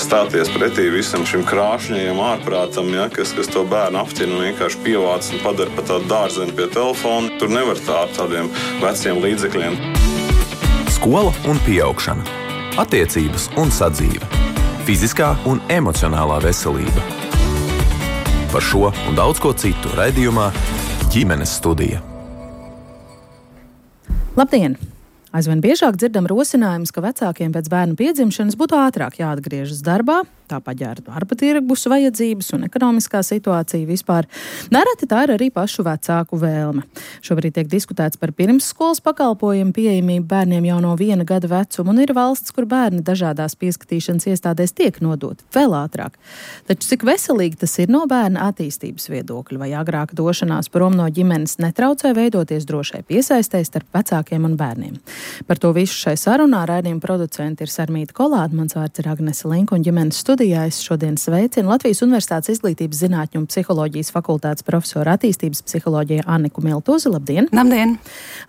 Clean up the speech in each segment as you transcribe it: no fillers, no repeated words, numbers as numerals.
stāties pretī visam šim krāšņajam ārprātam, ja, kas to bērnu apķina un vienkārši pievāc un padara pa tādu dārzeni pie telefona. Tur nevar tā ar tādiem veciem līdzekļiem. Skola un pieaugšana, attiecības un sadzīve, fiziskā un emocionālā veselība. Par šo un daudz ko citu raidījumā Ģimenes studija. Labdien! Aizvien biežāk dzirdam rosinājumus, ka vecākiem pēc bērnu piedzimšanas būtu ātrāk jāatgriežas darbā, tā paģēra darba tirgus vajadzības un ekonomiskā situācija vispār. Nereti tā ir arī pašu vecāku vēlme. Šobrīd tiek diskutēts par pirmsskolas pakalpojumu pieejamību bērniem jau no 1 gada vecuma, un ir valsts, kur bērni dažādās pieskatīšanas iestādēs tiek nodoti vēl ātrāk. Taču cik veselīgi tas ir no bērna attīstības viedokļa, vai agrāk došanās prom no ģimenes netraucē veidoties drošai piesaistei starp vecākiem un bērniem? Par to visu šai sarunā raidījuma producenti ir Sarmīta Kolāte, mans vārds ir Agnese Linka, un ģimenes studijā es šodien sveicinu Latvijas Universitātes izglītības zinātņu un psiholoģijas fakultātes profesoru attīstības psiholoģijā Anniku Miltuzi. Labdien! Labdien!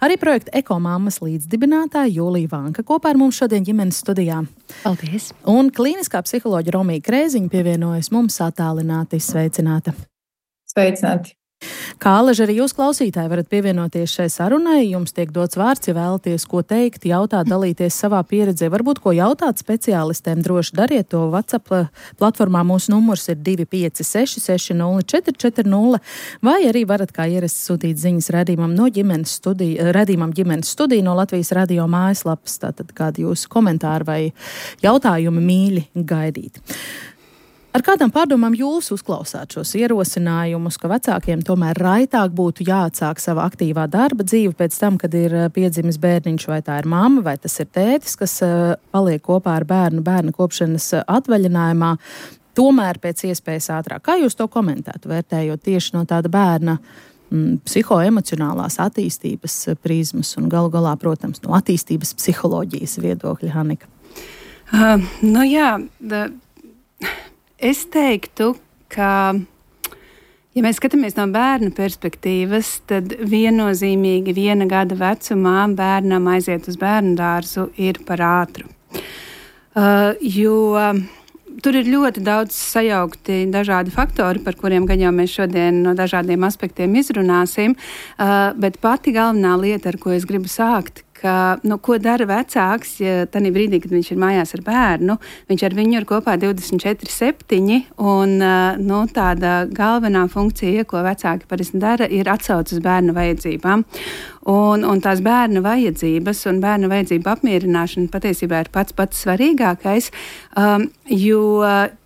Arī projekta Ekomammas līdzdibinātāja Jūlija Vanka kopā ar mums šodien ģimenes studijā. Paldies! Un klīniskā psiholoģa Romija Krēziņa pievienojas mums attālināti. Sveicināta! Sveicināti! Kā alaži arī jūs klausītāji varat pievienoties šai sarunai, jums tiek dots vārds, ja vēlaties ko teikt, jautāt, dalīties savā pieredzē, varbūt ko jautāt speciālistiem, droši dariet to WhatsApp platformā. Mūsu numurs ir 256 60 440, vai arī varat kā ierasts sūtīt ziņas raidījumam Ģimenes studija no Latvijas radio mājaslapas, tātad kādi jūsu komentāri vai jautājumi mīļi gaidīt. Ar kādām pārdomām jūs uzklausāt šos ierosinājumus, ka vecākiem tomēr raitāk būtu jāatsāk sava aktīvā darba dzīve pēc tam, kad ir piedzimis bērniņš, vai tā ir mamma, vai tas ir tētis, kas paliek kopā ar bērnu kopšanas atvaļinājumā, tomēr pēc iespējas ātrāk? Kā jūs to komentētu, vērtējot tieši no tāda bērna psihoemocionālās attīstības prizmas un galu galā, protams, no attīstības psiholoģijas viedokļa, Annika? Es teiktu, ka, ja mēs skatāmies no bērna perspektīvas, tad viennozīmīgi 1 gada vecumā bērnam aiziet uz bērnu dārzu ir par ātru. Jo tur ir ļoti daudz sajaukti dažādi faktori, par kuriem gan jau mēs šodien no dažādiem aspektiem izrunāsim, bet pati galvenā lieta, ar ko es gribu sākt, ka, ko dara vecāks, ja tajā brīdī, kad viņš ir mājās ar bērnu, viņš ar viņu ir kopā 24/7, un tāda galvenā funkcija, ko vecāki parasti dara, ir atsauce uz bērnu vajadzībām. Un tās bērnu vajadzības un bērnu vajadzību apmierināšana patiesībā ir pats svarīgākais, jo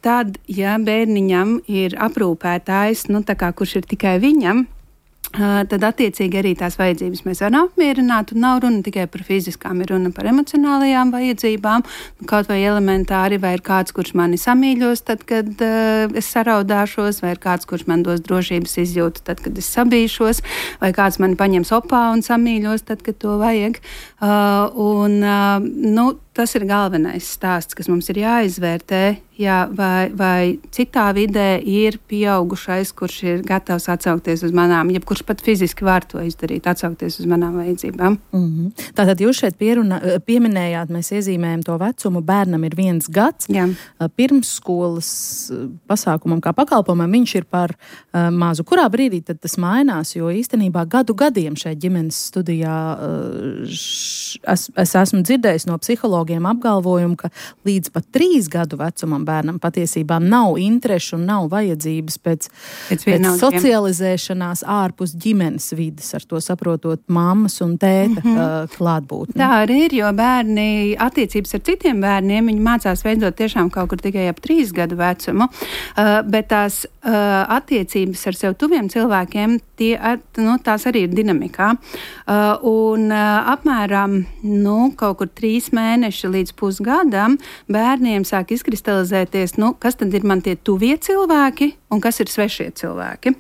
tad, ja bērniņam ir aprūpētājs, kurš ir tikai viņam, tad attiecīgi arī tās vajadzības mēs varam apmierināt, un nav runa tikai par fiziskām, ir runa par emocionālajām vajadzībām, kaut vai elementāri, vai ir kāds, kurš mani samīļos tad, kad es saraudāšos, vai ir kāds, kurš man dos drošības izjūtu tad, kad es sabīšos, vai kāds mani paņems opā un samīļos tad, kad to vajag. Tas ir galvenais stāsts, kas mums ir jāizvērtē, vai citā vidē ir pieaugušais, kurš ir gatavs atsaukties uz manām, jebkurš pat fiziski var to izdarīt, atsaukties uz manām vajadzībām. Tātad jūs šeit pieminējāt, mēs iezīmējam to vecumu, bērnam ir 1 gads. Jā. Pirmsskolas pasākumam kā pakalpojumam viņš ir par mazu. Kurā brīdī tad tas mainās, jo īstenībā gadiem šeit ģimenes studijā es esmu dzirdējis no psihologiem apgalvojumu, ka līdz pat 3 gadu vecumam bērnam patiesībā nav interešu un nav vajadzības pēc socializēšanās ārpus ģimenes vides, ar to saprotot mammas un tēta klātbūtni. Tā arī ir, jo bērni attiecības ar citiem bērniem, viņi mācās veidot tiešām kaut kur tikai ap 3 gadu vecumu, bet tās attiecības ar sev tuviem cilvēkiem, tās arī ir dinamikā. Un apmēram kaut kur 3 mēneši līdz pusgadam bērniem sāk izkristalizēties, kas tad ir man tie tuvie cilvēki un kas ir svešie cilvēki.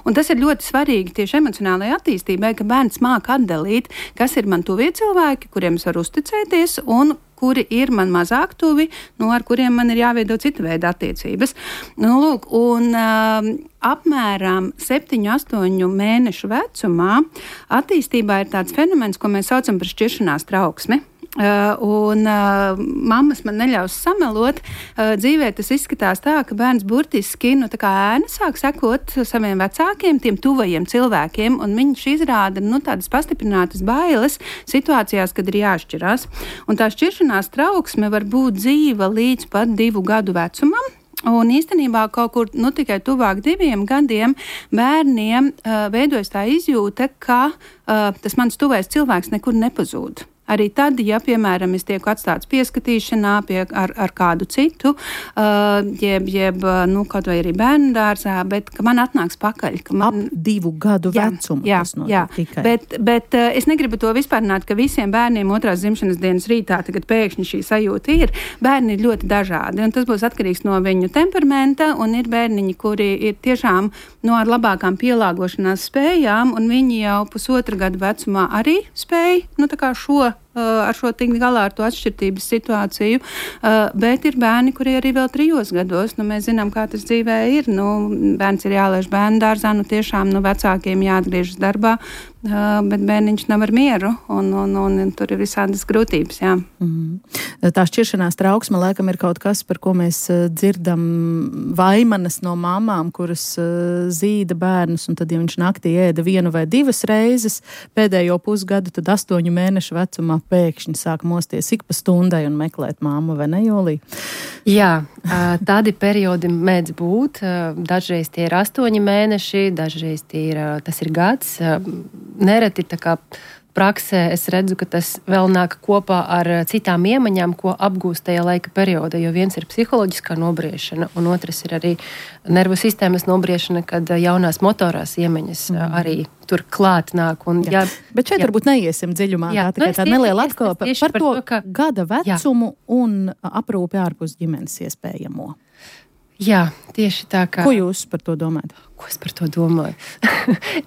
Un tas ir ļoti svarīgi tieši emocionālajai attīstībai, ka bērns māk atdalīt, kas ir man tuvie cilvēki, kuriem es varu uzticēties, un kuri ir man mazāk tuvi, ar kuriem man ir jāveido cita veida attiecības. Apmēram 7-8 mēnešu vecumā attīstībā ir tāds fenomens, ko mēs saucam par šķiršanās trauksmi. un mammas man neļaus samelot. Dzīvē tas izskatās tā, ka bērns burtiski tā kā ēna sāk sekot saviem vecākiem, tiem tuvajiem cilvēkiem, un viņš izrāda tādas pastiprinātas bailes situācijās, kad ir jāšķirās. Un tā šķiršanās trauksme var būt dzīva līdz pat 2 gadu vecumam. Un īstenībā kaut kur tikai tuvāk 2 gadiem bērniem veidojas tā izjūta, ka tas mans tuvais cilvēks nekur nepazūd. Arī tad, ja, piemēram, es tieku atstāts pieskatīšanā ar kādu citu, jeb kaut vai arī bērnu dārzā, bet ka man atnāks pakaļ. Ka man... Ap 2 gadu vecumu. Jā, tikai. Bet es negribu to vispārināt, ka visiem bērniem 2. dzimšanas dienas rītā tagad pēkšņi šī sajūta ir. Bērni ir ļoti dažādi, un tas būs atkarīgs no viņu temperamenta, un ir bērniņi, kuri ir tiešām ar labākām pielāgošanās spējām, un viņi jau 1,5 gadu vecumā arī spēj, tā kā ar šo tikt galā ar to atšķirtības situāciju, bet ir bērni, kuri arī vēl 3 gados, mēs zinām, kā tas dzīvē ir, bērns ir jālaiž bērnu dārzā, tiešām vecākiem jāatgriežas darbā, bet bērniņš nav ar mieru, un tur ir visādas grūtības, jā. Tā šķiršanās trauksme laikam ir kaut kas, par ko mēs dzirdam vaimanas no mamām, kuras zīda bērnus, un tad, ja viņš naktī ēda 1 vai 2 reizes, pēdējo pusgadu, tad 8 mēnešu vecumā pēkšņi sāk mosties ik pa stundai un meklēt māmu, vai ne, Jolija? Jā, tādi periodi mēdz būt. Dažreiz tie ir 8 mēneši, dažreiz tas ir gads. Nereti tā kā praksē es redzu, ka tas vēl nāk kopā ar citām iemaņām, ko apgūst tajā laika periodā, jo viens ir psiholoģiskā nobriešana, un otrs ir arī nervu sistēmas nobriešana, kad jaunās motorās iemaņas arī tur klāt nāk. Bet šeit varbūt neiesim dziļumā, tikai tāda neliela atklāpa par to gada vecumu un aprūpi ārpus ģimenes iespējamo. Jā, tieši tā kā... Ko jūs par to domājat? Ko es par to domāju?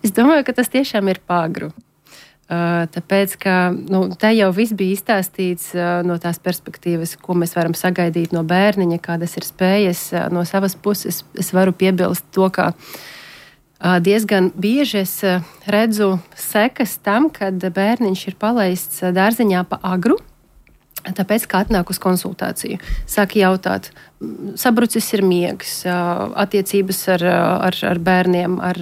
Es domāju, ka tas tiešām ir pāgru. Tāpēc, ka te jau viss bija izstāstīts no tās perspektīvas, ko mēs varam sagaidīt no bērniņa, kādas ir spējas. No savas puses es varu piebilst to, ka diezgan bieži es redzu sekas tam, kad bērniņš ir palaists dārziņā pa agru, tāpēc, ka atnāk uz konsultāciju. Sāk jautāt, sabrucis ir miegs, attiecības ar bērniem, ar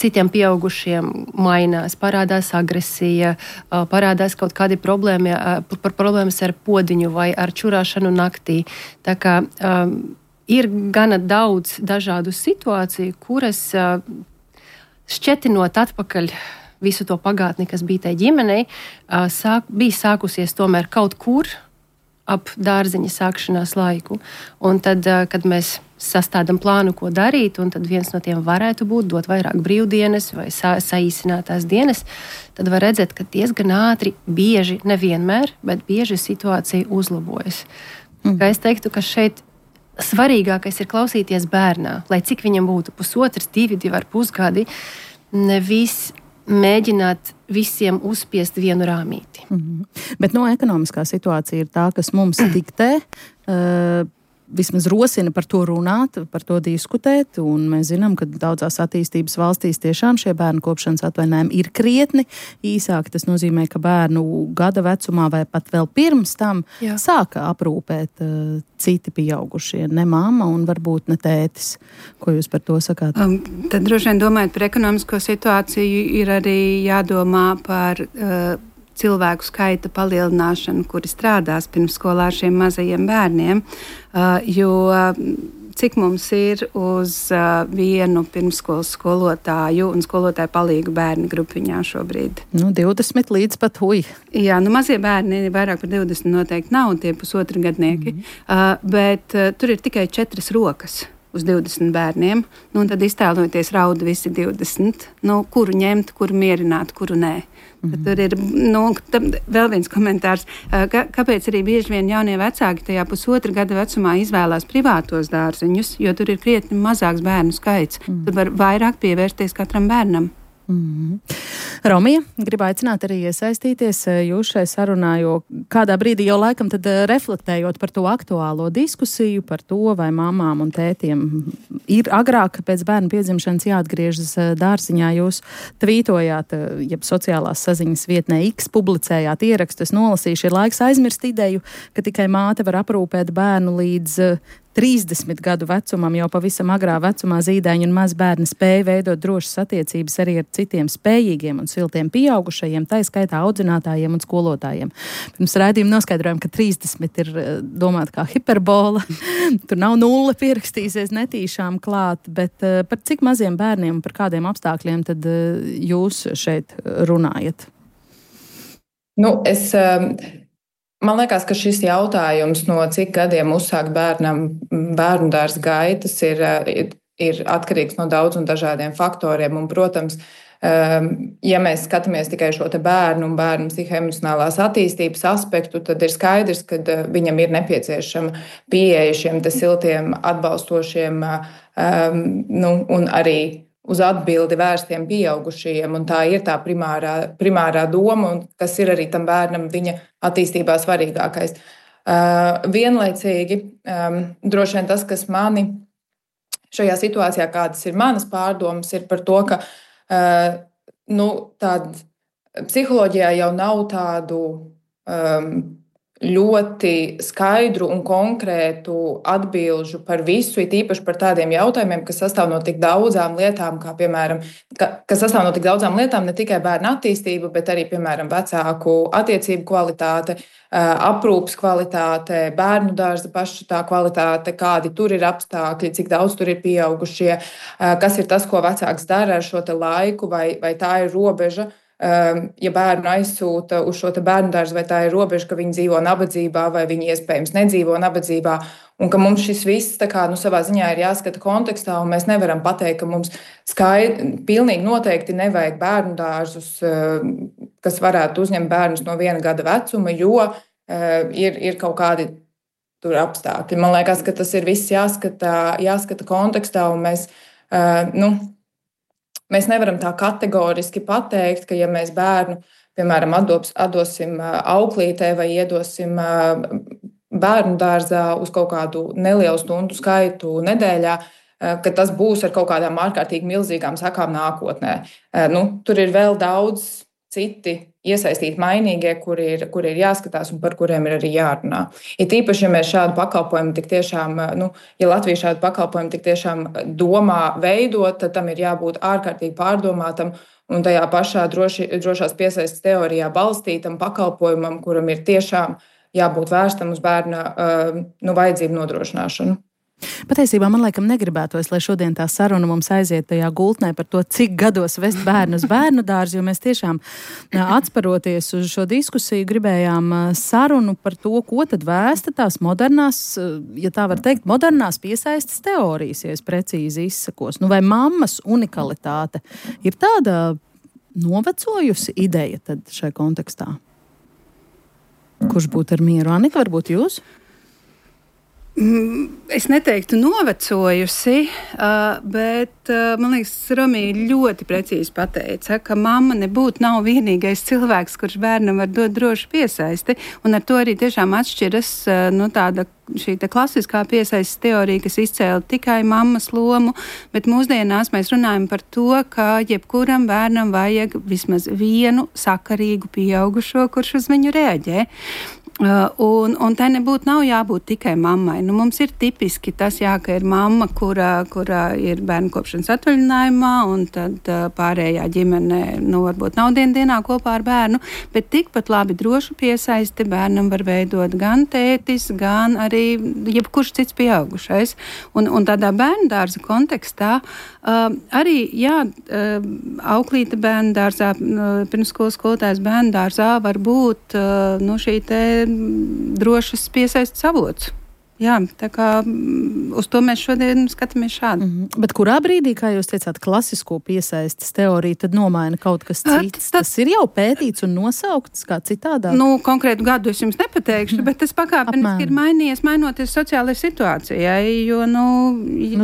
citiem pieaugušiem mainās, parādās agresija, parādās kaut kādi problēmas ar podiņu vai ar čurāšanu naktī. Tā kā ir gana daudz dažādu situāciju, kuras šķetinot atpakaļ visu to pagātni, kas bija tai ģimenei, bija sākusies tomēr kaut kur ap dārziņa sākšanās laiku. Un tad, kad mēs sastādam plānu, ko darīt, un tad viens no tiem varētu būt dot vairāk brīvdienas vai saīsinātās dienas, tad var redzēt, ka diezgan ātri, bieži, nevienmēr, bet bieži situācija uzlabojas. Kā es teiktu, ka šeit svarīgākais ir klausīties bērnā, lai cik viņam būtu 1,5, 2,5 gadi, nevis mēģināt visiem uzspiest vienu rāmīti. Bet ekonomiskā situācija ir tā, kas mums diktē, vismaz rosina par to runāt, par to diskutēt, un mēs zinām, ka daudzās attīstības valstīs tiešām šie bērnu kopšanas atvaļinājumi ir krietni īsāki. Tas nozīmē, ka bērnu gada vecumā vai pat vēl pirms tam sāka aprūpēt citi pieaugušie, ne mamma un varbūt ne tētis. Ko jūs par to sakāt? Tad droši vien domājot par ekonomisko situāciju, ir arī jādomā par cilvēku skaita palielināšanu, kuri strādās pirmsskolā ar šiem mazajiem bērniem, jo cik mums ir uz vienu pirmsskolas skolotāju un skolotāju palīgu bērnu grupiņā šobrīd? 20 līdz pat hui. Jā, mazie bērni vairāk par 20 noteikti nav, tie 1,5 gadnieki, bet tur ir tikai 4 rokas uz 20 bērniem, un tad iztēloties rauda visi 20, kuru ņemt, kuru mierināt, kuru nē. Tur ir vēl viens komentārs, kāpēc arī bieži vien jaunie vecāki tajā 1,5 gada vecumā izvēlās privātos dārziņus, jo tur ir krietni mazāks bērnu skaits. Tur var vairāk pievērsties katram bērnam. Romija, gribu aicināt arī iesaistīties jūs šai sarunā, jo kādā brīdī jau laikam tad reflektējot par to aktuālo diskusiju, par to, vai mamām un tētiem ir agrāk pēc bērna piedzimšanas jāatgriežas dārziņā. Jūs tvītojāt, jeb sociālās saziņas vietnē X publicējāt ierakstu, es nolasīšu, ir laiks aizmirst ideju, ka tikai māte var aprūpēt bērnu līdz 30 gadu vecumam, jau pavisam agrā vecumā zīdaiņi un mazbērni spēja veidot drošas attiecības arī ar citiem spējīgiem un siltiem pieaugušajiem, tā skaitā audzinātājiem un skolotājiem. Pirms raidījuma noskaidrojam, ka 30 ir domāta kā hiperbola. Tur nav nulle pierakstīsies netīšām klāt, bet par cik maziem bērniem un par kādiem apstākļiem tad jūs šeit runājat? Man liekas, ka šis jautājums, no cik gadiem uzsākt bērnam bērnu dārza gaitas, ir atkarīgs no daudz un dažādiem faktoriem. Un, protams, ja mēs skatāmies tikai šo te bērnu un bērnu psihoemocionālās attīstības aspektu, tad ir skaidrs, ka viņam ir nepieciešama pieeja šiem te siltiem, atbalstošiem un arī uz atbildi vērstiem pieaugušajiem, un tā ir tā primārā doma, un kas ir arī tam bērnam viņa attīstībā svarīgākais. Vienlaicīgi, droši vien tas, kas mani šajā situācijā, kādas ir manas pārdomas, ir par to, ka psiholoģijā jau nav tādu ļoti skaidru un konkrētu atbilžu par visu, it īpaši par tādiem jautājumiem, kas sastāv no tik daudzām lietām, kā piemēram, kas sastāv no tik daudzām lietām, ne tikai bērnu attīstība, bet arī, piemēram, vecāku attiecību kvalitāte, aprūpes kvalitāte, bērnu dārza paša tā kvalitāte, kādi tur ir apstākļi, cik daudz tur ir pieaugušie, kas ir tas, ko vecāks dara ar šo te laiku, vai tā ir robeža. Ja bērnu aizsūta uz šo bērnu dārzu, vai tā ir robeža, ka viņi dzīvo nabadzībā, vai viņi iespējams nedzīvo nabadzībā, un ka mums šis viss savā ziņā ir jāskata kontekstā, un mēs nevaram pateikt, ka mums pilnīgi noteikti nevajag bērnu dārzus, kas varētu uzņemt bērnus no 1 gada vecuma, jo ir kaut kādi tur apstākļi. Man liekas, ka tas ir viss jāskata kontekstā, un mēs nevaram tā kategoriski pateikt, ka ja mēs bērnu, piemēram, atdosim auklītē vai iedosim bērnu dārzā uz kaut kādu nelielu stundu skaitu nedēļā, ka tas būs ar kaut kādām ārkārtīgi milzīgām sakām nākotnē. Tur ir vēl daudz citi iesaistīti mainīgie, kuri ir jāskatās un par kuriem ir arī jārunā. Ir tīpaši, ja mēs šādu pakalpojumu tik tiešām, ja Latvija šādu pakalpojumu tik tiešām domā veidot, tad tam ir jābūt ārkārtīgi pārdomātam un tajā pašā drošās piesaistes teorijā balstītam pakalpojumam, kuram ir tiešām jābūt vērstam uz bērna vajadzību nodrošināšanu. Patiesībā man laikam negribētos, lai šodien tā saruna mums aiziet tajā gultnē par to, cik gados vest bērnu uz bērnu dārzu, jo mēs tiešām atsparoties uz šo diskusiju gribējām sarunu par to, ko tad vēsta tās modernās, ja tā var teikt, modernās piesaistes teorijas, ja es precīzi izsakos. Vai mammas unikalitāte ir tāda novecojusi ideja tad šai kontekstā? Kurš būtu ar mieru? Anika, varbūt jūs? Es neteiktu novecojusi, bet man liekas, Romija ļoti precīzi pateica, ka mamma nebūtu nav vienīgais cilvēks, kurš bērnam var dot drošu piesaisti, un ar to arī tiešām atšķiras tāda šī klasiskā piesaistes teorija, kas izcēla tikai mammas lomu, bet mūsdienās mēs runājam par to, ka jebkuram bērnam vajag vismaz vienu sakarīgu pieaugušo, kurš uz viņu reaģē. Un tai nav jābūt tikai mammai. Mums ir tipiski tas, ka ir mamma, kura ir bērnu kopšanas atvaļinājumā, un tad pārējā ģimene varbūt nav dienā kopā ar bērnu, bet tikpat labi drošu piesaisti bērnam var veidot gan tētis, gan arī jebkurš cits pieaugušais. Un tādā bērnu dārza kontekstā arī, auklīte bērnu dārzā, pirmsskolas skolotājs bērnu dārzā var būt šī te drošas piesaistes avots. Jā, tā kā uz to mēs šodien skatāmies šādi. Bet kurā brīdī, kā jūs teicāt, klasisko piesaistes teoriju tad nomaina kaut kas cits? Tas ir jau pētīts un nosaukts kā citādāk? Konkrētu gadu es jums nepateikšu, bet tas pakāpeniski ir mainījies, mainoties sociālajai situācijai, jo,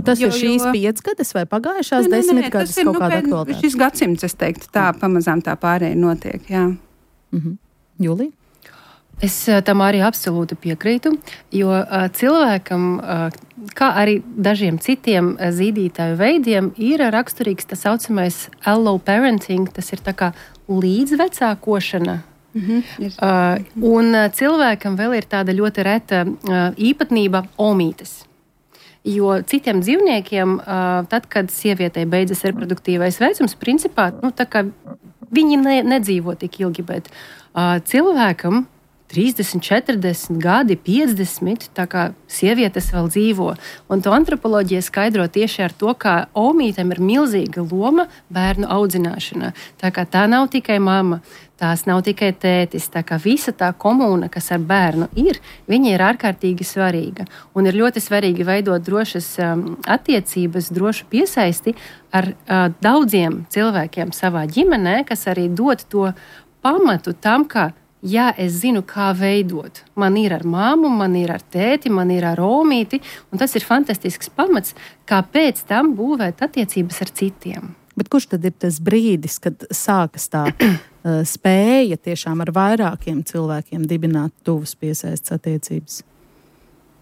tas ir šīs 5 gadas vai pagājušās 10 gadas kaut kāda aktualitāte? Šis gadsimts, es teiktu, tā pamazām tā pārēja notiek, jā. Julija? Es tam arī absolūti piekrītu, jo cilvēkam, kā arī dažiem citiem zīdītāju veidiem, ir raksturīgs tā saucamais allo parenting, tas ir tā kā līdzvecākošana. Un cilvēkam vēl ir tāda ļoti reta īpatnība omītes. Jo citiem dzīvniekiem, tad, kad sievietei beidzas reproduktīvais vecums, principā, tā kā viņi nedzīvo tik ilgi, bet cilvēkam 30, 40 gadi, 50, tā kā sievietes vēl dzīvo. Un to antropoloģija skaidro tieši ar to, ka omītēm ir milzīga loma bērnu audzināšanā. Tā kā tā nav tikai mamma, tās nav tikai tētis, tā kā visa tā komūna, kas ar bērnu ir, viņa ir ārkārtīgi svarīga. Un ir ļoti svarīgi veidot drošas attiecības, drošu piesaisti ar daudziem cilvēkiem savā ģimenē, kas arī dod to pamatu tam, ka jā, es zinu, kā veidot. Man ir ar māmu, man ir ar tēti, man ir ar omīti, un tas ir fantastisks pamats, kā pēc tam būvēt attiecības ar citiem. Bet kurš tad ir tas brīdis, kad sākas tā spēja tiešām ar vairākiem cilvēkiem dibināt tuvas piesaistes attiecības?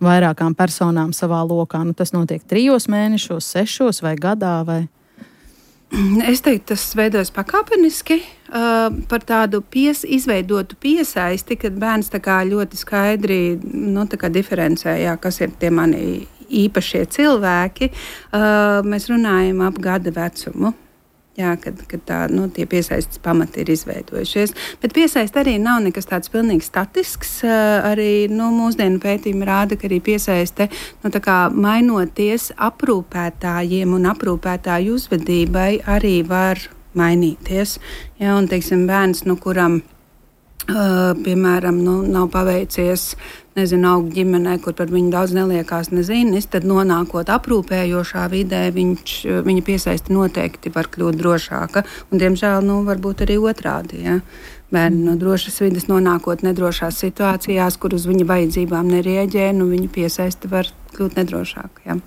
Vairākām personām savā lokā. Tas notiek 3 mēnešos, 6 vai gadā vai... Es teiktu, tas veidojas pakāpeniski par tādu izveidotu piesaisti, kad bērns tā kā ļoti skaidri diferencē, kas ir tie mani īpašie cilvēki. Mēs runājam ap gada vecumu. Jā, kad tie piesaistes pamati ir izveidojušies. Bet piesaiste arī nav nekas tāds pilnīgi statisks. Arī mūsdienu pētījumi rāda, ka arī piesaiste mainoties aprūpētājiem un aprūpētāju uzvedībai arī var mainīties. Jā, un, teiksim, bērns, kuram piemēram, nav paveicies, augt ģimenē, kur par viņu daudz neliekās nezinis, tad nonākot aprūpējošā vidē, viņa piesaisti noteikti var kļūt drošāka. Un, diemžēl, varbūt arī otrādi. Ja? Bērni no drošas vides nonākot nedrošās situācijās, kur uz viņa vajadzībām nerieģē, viņa piesaisti var kļūt nedrošāka. Ja?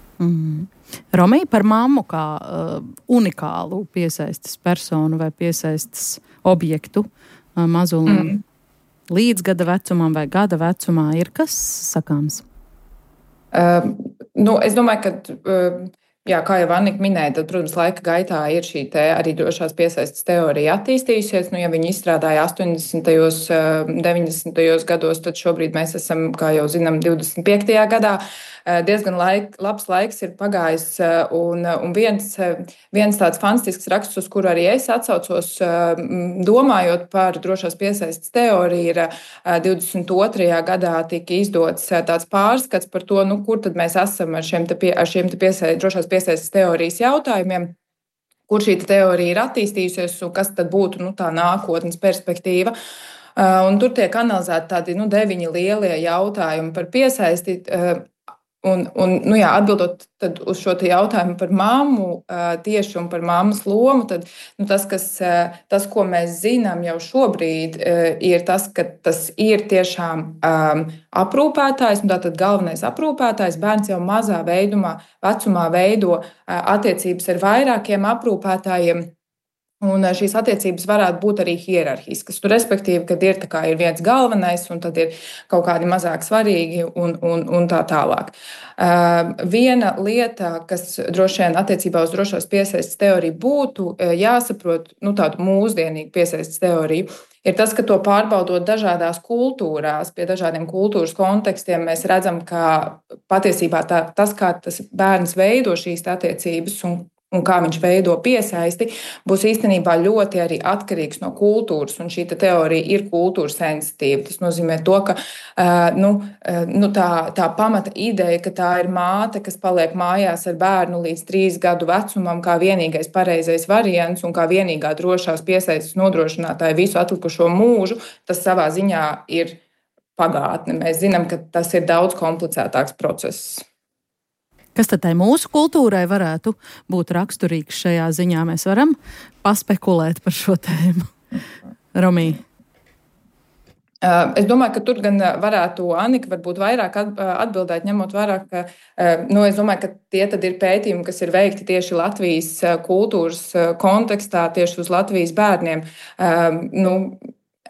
Romija, par mammu kā unikālu piesaistes personu vai piesaistes objektu mazulim līdz gada vecumam vai gada vecumā ir kas sakāms? Es domāju, ka kā jau Annika minēja, tad, protams, laika gaitā ir šī arī drošās piesaistes teorija attīstījusies. Ja viņi izstrādāja 80. un 90. gados, tad šobrīd mēs esam, kā jau zinām, 25. gadā. Diezgan labs laiks ir pagājis, un viens tāds fantastisks raksts, uz kuru arī es atsaucos, domājot par drošās piesaistes teoriju, ir 22. gadā tika izdots tāds pārskats par to, kur tad mēs esam ar šiem drošās piesaistes teorijas jautājumiem, kur šī teorija ir attīstījusies un kas tad būtu tā nākotnes perspektīva. Un tur tiek analizēti tādi 9 lielie jautājumi par piesaisti. Atbildot uz šo jautājumu par mammu tieši un par mammas lomu, tad tas, ko mēs zinām jau šobrīd, ir tas, ka tas ir tiešām aprūpētājs, un tātad galvenais aprūpētājs. Bērns jau mazā vecumā veido attiecības ar vairākiem aprūpētājiem. Un šīs attiecības varētu būt arī hierarhiskas. Respektīvi, kad ir viens galvenais, un tad ir kaut kādi mazāk svarīgi un tā tālāk. Viena lieta, kas droši vien attiecībā uz drošās piesaistes teoriju būtu jāsaprot, tādu mūsdienīgu piesaistes teoriju, ir tas, ka to pārbaudot dažādās kultūrās, pie dažādiem kultūras kontekstiem, mēs redzam, ka patiesībā tas, kā tas bērns veido šīs attiecības un kā viņš veido piesaisti, būs īstenībā ļoti arī atkarīgs no kultūras, un šī teorija ir kultūras sensitīva. Tas nozīmē to, ka tā pamata ideja, ka tā ir māte, kas paliek mājās ar bērnu līdz 3 gadu vecumam, kā vienīgais pareizais variants un kā vienīgā drošās piesaistes nodrošinātāja visu atlikušo mūžu, tas savā ziņā ir pagātne. Mēs zinām, ka tas ir daudz komplicētāks process. Kas tad tai mūsu kultūrai varētu būt raksturīgs šajā ziņā? Mēs varam paspekulēt par šo tēmu. Romija. Es domāju, ka tur gan varētu Annika varbūt vairāk atbildēt, ņemot vērā, ka es domāju, ka tie tad ir pētījumi, kas ir veikti tieši Latvijas kultūras kontekstā, tieši uz Latvijas bērniem.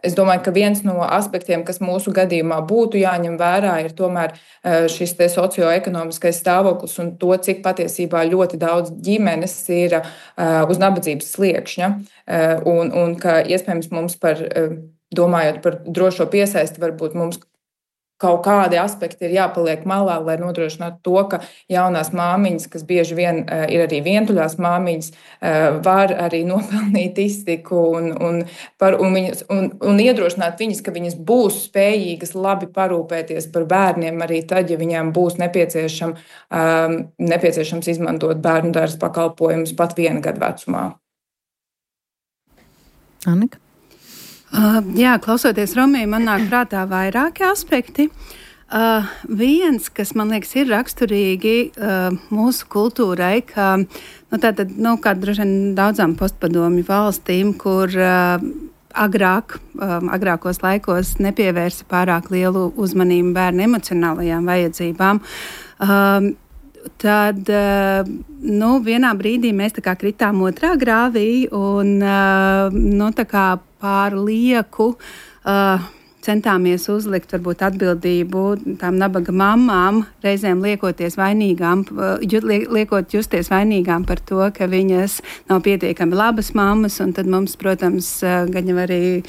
Es domāju, ka viens no aspektiem, kas mūsu gadījumā būtu jāņem vērā, ir tomēr šis socioekonomiskais stāvoklis un to, cik patiesībā ļoti daudz ģimenes ir uz nabadzības sliekšņa. Un ka iespējams mums domājot par drošo piesaisti, varbūt mums kaut kādi aspekti ir jāpaliek malā, lai nodrošinātu to, ka jaunās māmiņas, kas bieži vien ir arī vientuļās māmiņas, var arī nopelnīt iztiku un iedrošināt viņas, ka viņas būs spējīgas labi parūpēties par bērniem arī tad, ja viņām būs nepieciešams izmantot bērnu dārza pakalpojumus pat 1 gadu vecumā. Annika? Jā, klausoties Romiju, man nāk prātā vairāki aspekti. Viens, kas man liekas ir raksturīgi mūsu kultūrai, ka kā droši vien daudzām postpadomju valstīm, kur agrākos laikos nepievērsa pārāk lielu uzmanību bērnu emocionālajām vajadzībām, tad vienā brīdī mēs tā kā kritām otrā grāvī un tā kā pār lieku centāmies uzlikt varbūt atbildību tām nabaga mammām, reizēm liekot justies vainīgām par to, ka viņas nav pietiekami labas mammas, un tad mums, protams, gan jau arī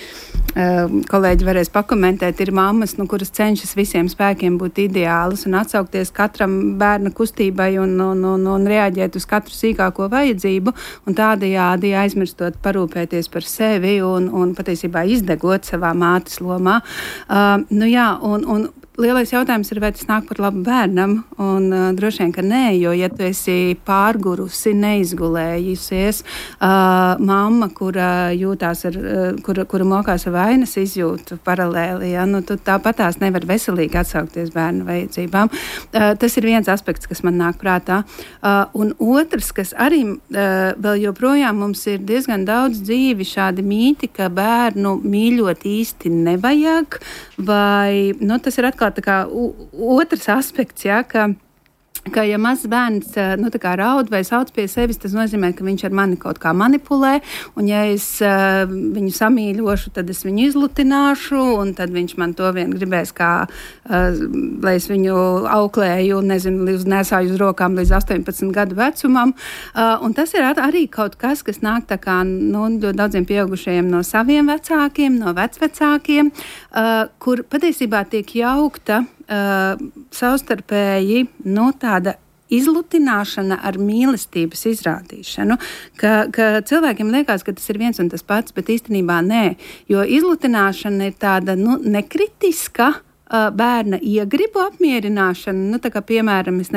kolēģi varēs pakomentēt, ir mammas, kuras cenšas visiem spēkiem būt ideālas un atsaukties katram bērna kustībai un reaģēt uz katru sīkāko vajadzību, un tādējādi aizmirstot parūpēties par sevi un patiesībā izdegot savā mātes lomā. Un lielais jautājums ir, vai tas nāk par labu bērnam, un droši vien, ka nē, jo, ja tu esi pārgurusi, neizgulējusies, mamma, kura jūtās kura mokās ar vainas izjūtu paralēli, tu tāpatās nevar veselīgi atsaukties bērnu vajadzībām. Tas ir viens aspekts, kas man nāk prātā. Un otrs, kas arī vēl joprojām mums ir diezgan daudz dzīvi šādi mīti, ka bērnu mīļot īsti nevajag, vai, tas ir atkal tā kā otrs aspekts, ka ja mazs bērns raud vai sauc pie sevis, tas nozīmē, ka viņš ar mani kaut kā manipulē, un ja es viņu samīļošu, tad es viņu izlutināšu, un tad viņš man to vien gribēs, lai es viņu auklēju, nesāju uz rokām līdz 18 gadu vecumam. Un tas ir arī kaut kas, kas nāk tā kā ļoti daudziem pieaugušajiem no saviem vecākiem, no vecvecākiem, kur patiesībā tiek jaukta savstarpēji tāda izlutināšana ar mīlestības izrādīšanu, ka cilvēkiem liekas, ka tas ir viens un tas pats, bet īstenībā nē, jo izlutināšana ir tāda nekritiska bērna iegribu apmierināšana, tā kā, piemēram, es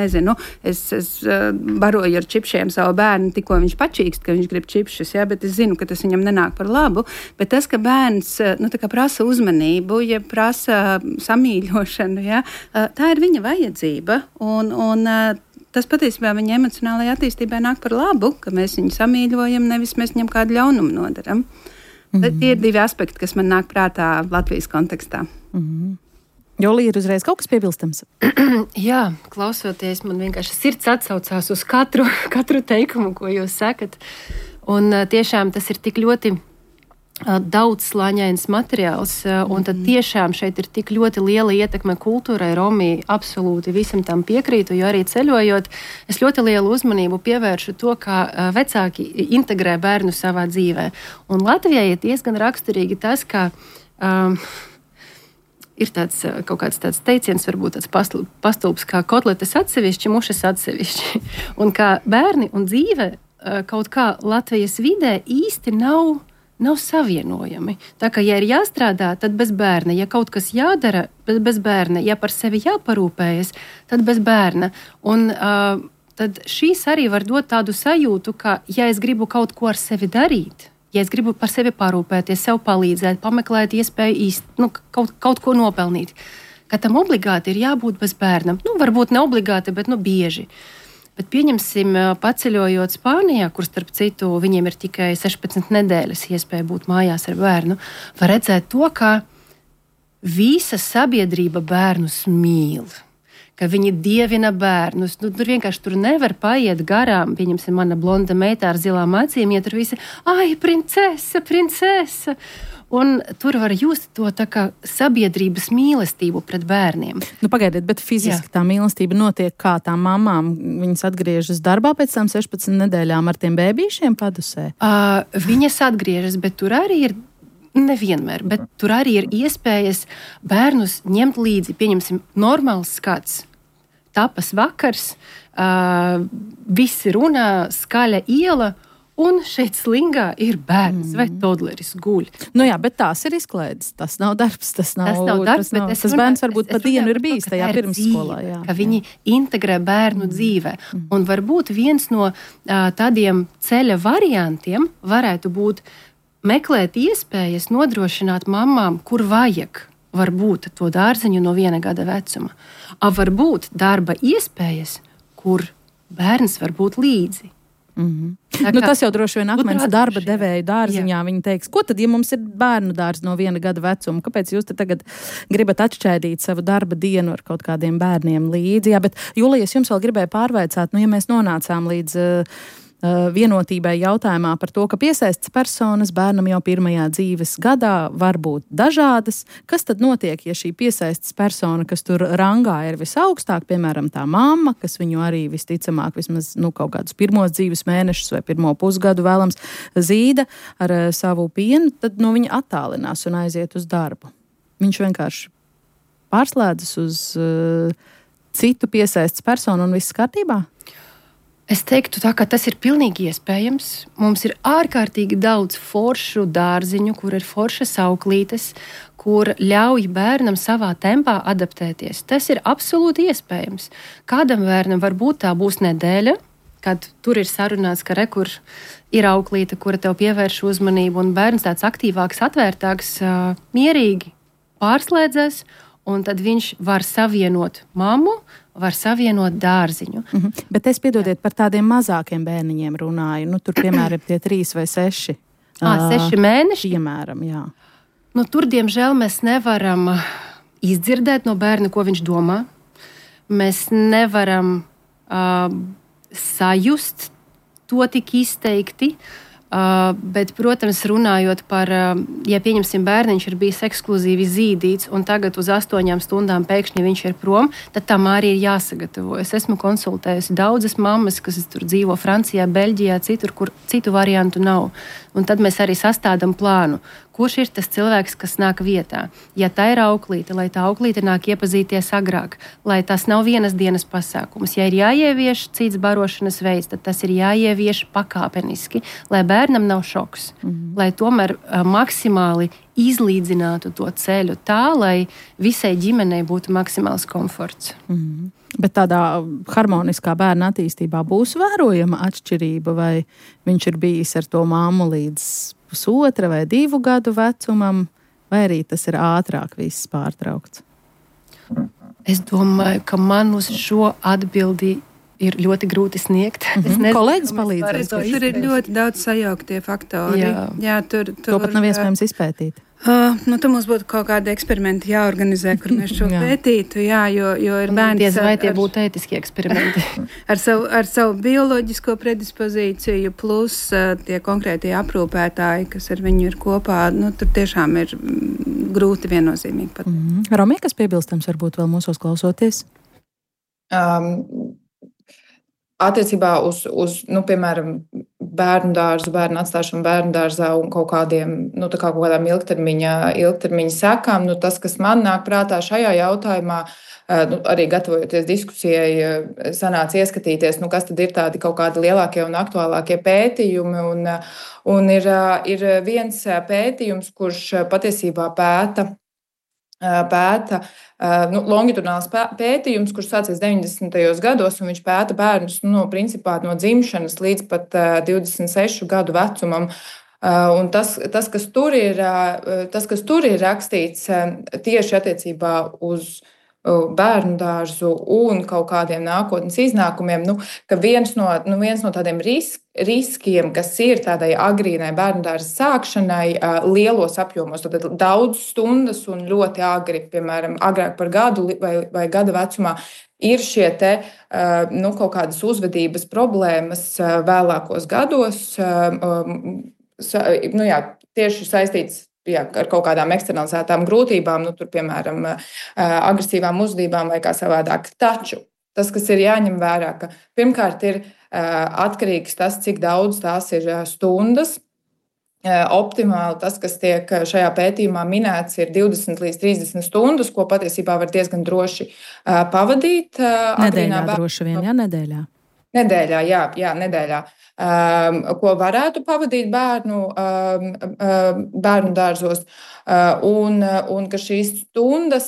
baroju ar čipšiem savu bērnu, tikko viņš pačīkst, ka viņš grib čipšus, bet es zinu, ka tas viņam nenāk par labu, bet tas, ka bērns, prasa uzmanību, ja prasa samīļošanu, tā ir viņa vajadzība, un tas patiesībā viņa emocionālajai attīstībai nāk par labu, ka mēs viņu samīļojam, nevis mēs viņam kādu ļaunumu nodaram. Tie ir 2 aspekti, kas man nāk prātā Latvijas kontekstā. Jolija, ir uzreiz kaut kas piebilstams? Jā, klausoties, man vienkārši sirds atsaucās uz katru teikumu, ko jūs sakat. Un tiešām tas ir tik ļoti daudzslāņains materiāls, un tad tiešām šeit ir tik ļoti liela ietekme kultūrai. Romija absolūti visam tam piekrītu, jo arī ceļojot, es ļoti lielu uzmanību pievēršu to, kā vecāki integrē bērnu savā dzīvē. Un Latvijai ir diezgan raksturīgi tas, ka ir kaut kāds tāds teiciens, varbūt tāds pastulbs, kā kotletes atsevišķi, mušas atsevišķi. Un kā bērni un dzīve kaut kā Latvijas vidē īsti nav savienojami. Tā kā, ja ir jāstrādā, tad bez bērna. Ja kaut kas jādara, bez bērna. Ja par sevi jāparūpējas, tad bez bērna. Un tad šīs arī var dot tādu sajūtu, ka, ja es gribu kaut ko ar sevi darīt, Ja es gribu par sevi parūpēties, sev palīdzēt, pameklēt iespēju kaut ko nopelnīt, ka tam obligāti ir jābūt bez bērna. Varbūt ne obligāti, bet bieži. Bet pieņemsim, paceļojot Spānijā, kur starp citu viņiem ir tikai 16 nedēļas iespēja būt mājās ar bērnu, var redzēt to, ka visa sabiedrība bērnus mīl. Ka viņi dievina bērnus. Tur vienkārši tur nevar paiet garām. Pieņemsim, mana blonda meita ar zilām acīm, ja tur visi, ai, princese. Un tur var just to tā kā sabiedrības mīlestību pret bērniem. Pagaidiet, bet fiziski tā mīlestība notiek kā tām mamām? Viņas atgriežas darbā pēc tam 16 nedēļām ar tiem bēbīšiem padusē? Viņas atgriežas, bet tur arī ir nevienmēr, bet tur arī ir iespējas bērnus ņemt līdzi. Pieņemsim, normāls skats. Tapas vakars, visi runā, skaļa iela, un šeit slingā ir bērns vai todleris guļ. Jā, bet tās ir izklaides. Tas nav darbs, tas bērns varbūt pa dienu ir bijis tajā pirmsskolā. Jā, ka viņi integrē bērnu dzīvē. Un varbūt viens no tādiem ceļa variantiem varētu būt meklēt iespējas nodrošināt mamām, kur vajag varbūt to dārziņu no 1 gada vecuma. Varbūt darba iespējas, kur bērns var būt līdzi. Tas jau droši vien akmens darba devēju dārziņā. Viņi teiks, ko tad, ja mums ir bērnu dārzi no 1 gada vecuma? Kāpēc jūs tagad gribat atšķaidīt savu darba dienu ar kaut kādiem bērniem līdzi? Jā, bet, Julija, es jums vēl gribēju pārvaicāt, ja mēs nonācām līdz vienotībai jautājumā par to, ka piesaistas personas bērnam jau 1. dzīves gadā var būt dažādas. Kas tad notiek, ja šī piesaistas persona, kas tur rangā ir visaugstāk, piemēram, tā mamma, kas viņu arī visticamāk vismaz kaut kādus 1. dzīves mēnešus vai 1. pusgadu vēlams zīda ar savu pienu, tad viņa attālinās un aiziet uz darbu. Viņš vienkārši pārslēdzas uz citu piesaistas personu un viss kārtībā? Es teiktu tā, ka tas ir pilnīgi iespējams. Mums ir ārkārtīgi daudz foršu dārziņu, kur ir foršas auklītes, kur ļauj bērnam savā tempā adaptēties. Tas ir absolūti iespējams. Kādam bērnam varbūt tā būs nedēļa, kad tur ir sarunāts, ka kur ir auklīte, kura tev pievērš uzmanību, un bērns tāds aktīvāks, atvērtāks, mierīgi pārslēdzas, un tad viņš var savienot mammu, var savienot dārziņu. Bet es, piedodiet, par tādiem mazākiem bērniņiem runāju. Tur, piemēram, tie 3 vai 6. 6 mēneši? Piemēram, jā. Tur, diemžēl, mēs nevaram izdzirdēt no bērna, ko viņš domā. Mēs nevaram sajust to tik izteikti. Bet, protams, runājot par, ja pieņemsim bērniņš ir bijis ekskluzīvi zīdīts un tagad uz 8 stundām pēkšņi viņš ir prom, tad tam arī ir jāsagatavojas. Esmu konsultējusi daudzas mammas, kas tur dzīvo Francijā, Beļģijā, citur, kur citu variantu nav. Un tad mēs arī sastādām plānu. Kurš ir tas cilvēks, kas nāk vietā? Ja tā ir auklīte, lai tā auklīte nāk iepazīties agrāk, lai tas nav vienas dienas pasākums. Ja ir jāievieš cits barošanas veids, tad tas ir jāievieš pakāpeniski, lai bērnam nav šoks. Lai tomēr maksimāli izlīdzinātu to ceļu tā, lai visai ģimenei būtu maksimāls komforts. Bet tādā harmoniskā bērna attīstībā būs vērojama atšķirība, vai viņš ir bijis ar to mammu līdz 1,5 vai 2 gadu vecumam, vai arī tas ir ātrāk viss pārtraukts? Es domāju, ka man uz šo atbildi ir ļoti grūti sniegt. Kolēģis palīdzēs. Tur ir ļoti daudz sajauktie faktori. Jā, tur to pat nav iespējams izpētīt. Tur mums būtu kaut kādi eksperimenti jāorganizē, kur mēs šo pētītu, jo ir bērni. Vai tie būtu ētiski eksperimenti? ar savu bioloģisko predispozīciju, plus tie konkrētie aprūpētāji, kas ar viņu ir kopā, tur tiešām ir grūti viennozīmīgi pat. Romija, kas piebilstams varbūt vēl mūsos klausoties? Attiecībā uz piemēram, bērnu dārzu, bērnu atstāšanu bērnu dārzā un kaut kādām ilgtermiņa sekām, tas, kas man nāk prātā šajā jautājumā, arī gatavojoties diskusijai, sanāca ieskatīties, kas tad ir tādi kaut kādi lielākie un aktuālākie pētījumi. Un ir viens pētījums, kurš patiesībā pēta longitudināls pētījums, kurš sācies 90. gados, un viņš pēta bērnus principā no dzimšanas līdz pat 26 gadu vecumam. Un tas, kas tur ir rakstīts tieši attiecībā uz bērnu dārzu un kaut kādiem nākotnes iznākumiem, ka viens no tādiem riskiem, kas ir tādai agrīnai bērnu dārza sākšanai lielos apjomos, tad daudz stundas un ļoti agri, piemēram, agrāk par gadu vai gada vecumā, ir šie kaut kādas uzvedības problēmas vēlākos gados, tieši saistīts ar kaut kādām eksternalizētām grūtībām, tur, piemēram, agresīvām uzvedībām vai kā savādāk. Taču tas, kas ir jāņem vērā, ka pirmkārt ir atkarīgs tas, cik daudz tās ir stundas. Optimāli tas, kas tiek šajā pētījumā minēts, ir 20 līdz 30 stundas, ko patiesībā var diezgan droši pavadīt. Nedēļā droši vien, nedēļā. Nedēļā. Ko varētu pavadīt bērnu dārzos, un ka šīs stundas,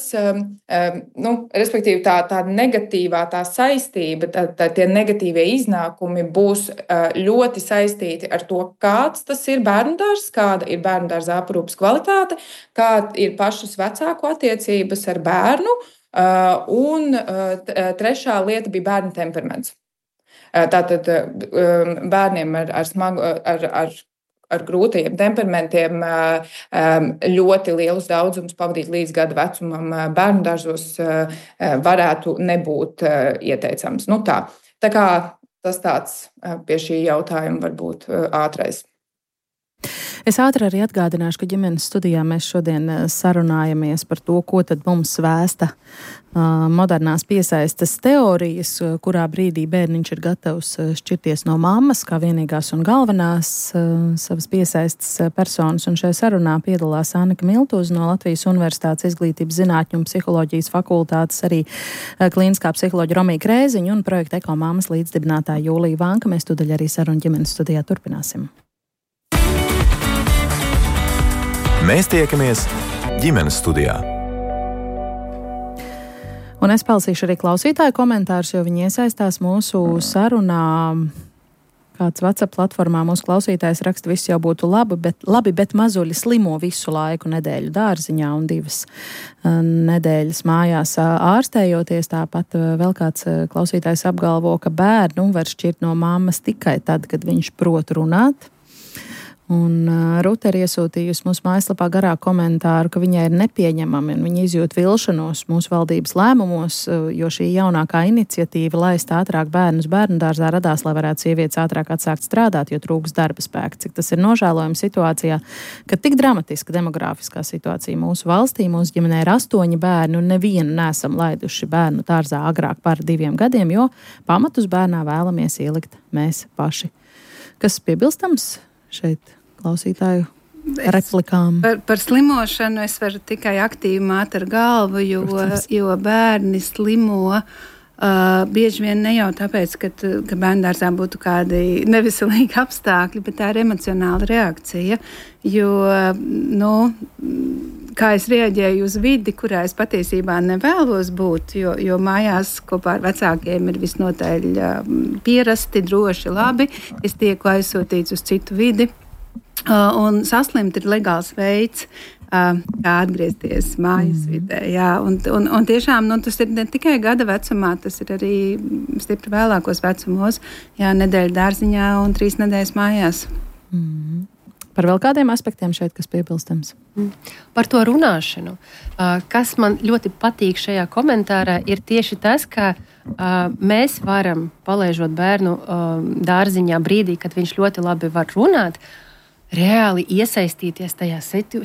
respektīvi tā negatīvā, tā saistība, tie negatīvie iznākumi būs ļoti saistīti ar to, kāds tas ir bērnu dārzs, kāda ir bērnu dārza aprūpes kvalitāte, kāda ir pašas vecāku attiecības ar bērnu, un trešā lieta bija bērnu temperaments. Tātad bērniem ar grūtajiem temperamentiem ļoti lielus daudzumus pavadīt līdz gada vecumam bērnu dārzos varētu nebūt ieteicams. Tā kā tas tāds pie šī jautājuma varbūt ātrais. Es ātri arī atgādināšu, ka ģimenes studijā mēs šodien sarunājamies par to, ko tad mums vēsta modernās piesaistes teorijas, kurā brīdī bērniņš ir gatavs šķirties no mammas, kā vienīgās un galvenās savas piesaistes personas. Un šajā sarunā piedalās Annika Miltūze no Latvijas Universitātes Izglītības zinātņu un psiholoģijas fakultātes, arī klīniskā psiholoģa Romija Krēziņa un projekta Ekomāmas līdzdibinātāja Jūlija Vanka. Mēs tūdaļ arī sarunu ģimenes studijā turpināsim. Mēs tiekamies ģimenes studijā. Un es palasīšu arī klausītāju komentārus, jo viņi iesaistās mūsu sarunā. Kāds WhatsApp platformā mūsu klausītājs raksta, viss jau būtu labi, bet mazuļi slimo visu laiku nedēļu dārziņā un 2 nedēļas mājās ārstējoties. Tāpat vēl kāds klausītājs apgalvo, ka bērnu var šķirt no mammas tikai tad, kad viņš prot runāt. Un Rute ir iesūtījusi mūsu mājaslapā garā komentāru, ka viņai ir nepieņemami un viņa izjūt vilšanos mūsu valdības lēmumos, jo šī jaunākā iniciatīva laist ātrāk bērnus bērnu dārzā radās, lai varētu sievietes ātrāk atsākt strādāt, jo trūks darba spēka. Cik tas ir nožēlojami situācijā, ka tik dramatiska demografiskā situācija mūsu valstī, mūsu ģimenē ir 8 bērni un nevienu nesam laiduši bērnu dārzā agrāk par 2 gadiem, jo pamatus bērnā vēlamies ielikt mēs paši. Kas piebilstams šeit klausītāju replikām? Par slimošanu es varu tikai aktīvi māt ar galvu, jo bērni slimo bieži vien ne jau tāpēc, ka bērndārzā būtu kādi neveselīgi apstākļi, bet tā ir emocionāla reakcija, jo, kā es reaģēju uz vidi, kurā es patiesībā nevēlos būt, jo mājās kopā ar vecākiem ir visnotaļ pierasti, droši, labi, es tieku aizsūtīts uz citu vidi. Un saslimt ir legāls veids, kā atgriezties mājas vidē. Jā, un tiešām tas ir ne tikai gada vecumā, tas ir arī stipri vēlākos vecumos, nedēļa dārziņā un 3 nedēļas mājās. Par vēl kādiem aspektiem šeit, kas piebilstams? Par to runāšanu. Kas man ļoti patīk šajā komentārā, ir tieši tas, ka mēs varam, palaižot bērnu dārziņā brīdī, kad viņš ļoti labi var runāt, reāli iesaistīties tajā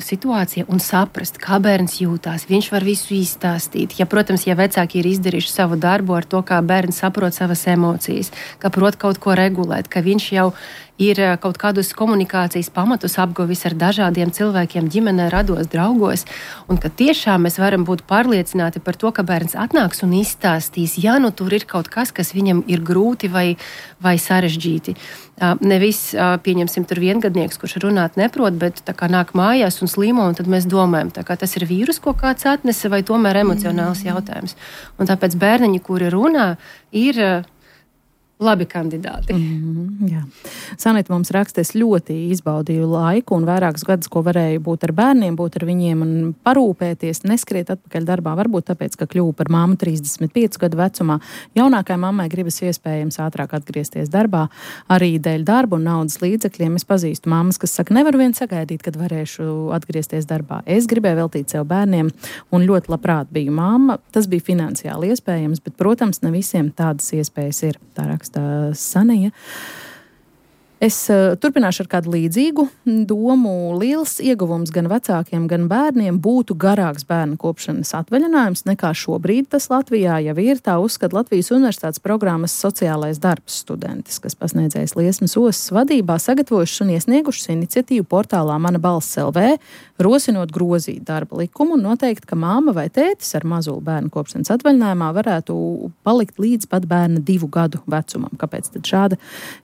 situācijā un saprast, kā bērns jūtās. Viņš var visu izstāstīt. Protams, ja vecāki ir izdarījuši savu darbu ar to, kā bērns saprot savas emocijas, ka prot kaut ko regulēt, ka viņš jau ir kaut kādus komunikācijas pamatus apguvis ar dažādiem cilvēkiem ģimenē, rados, draugos, un ka tiešām mēs varam būt pārliecināti par to, ka bērns atnāks un izstāstīs, tur ir kaut kas, kas viņam ir grūti vai sarežģīti. Nevis, pieņemsim, tur viengadnieks, kurš runāt neprot, bet tā kā nāk mājās un slimo, un tad mēs domājam, tā kā tas ir vīrus, ko kāds atnesa, vai tomēr emocionāls jautājums. Un tāpēc bērniņi, kuri runā, ir labi kandidāti. Jā. Sanita mums raksta, es ļoti izbaudīju laiku un vairākus gadus, ko varēju būt ar bērniem, būt ar viņiem un parūpēties, neskriet atpakaļ darbā, varbūt tāpēc, ka kļuvu par mammu 35 gadu vecumā. Jaunākai mammai gribas iespējams ātrāk atgriezties darbā, arī dēļ darba un naudas līdzekļiem. Es pazīstu mammas, kas saka, nevaru vien sagaidīt, kad varēšu atgriezties darbā. Es gribēju veltīt sev bērniem un ļoti labprāt biju mamma. Tas bija finansiāli iespējams, bet, protams, ne visiem tādas iespējas ir. Tā raksta Sanija. Es turpināšu ar kādu līdzīgu domu. Liels ieguvums gan vecākiem, gan bērniem būtu garāks bērnu kopšanas atvaļinājums nekā šobrīd tas Latvijā jau ir. Tā uzskata Latvijas Universitātes programmas sociālais darbs studentes, kas pasniedzējis Liesmas ostas vadībā sagatavojušas un iesniegušas iniciatīvu portālā Mana balss LV, rosinot grozīt darba likumu un noteikt, ka māma vai tētis ar mazulu bērnu kopšanas atvaļinājumā varētu palikt līdz pat bērna 2 gadu vecumam. Kāpēc tad šāda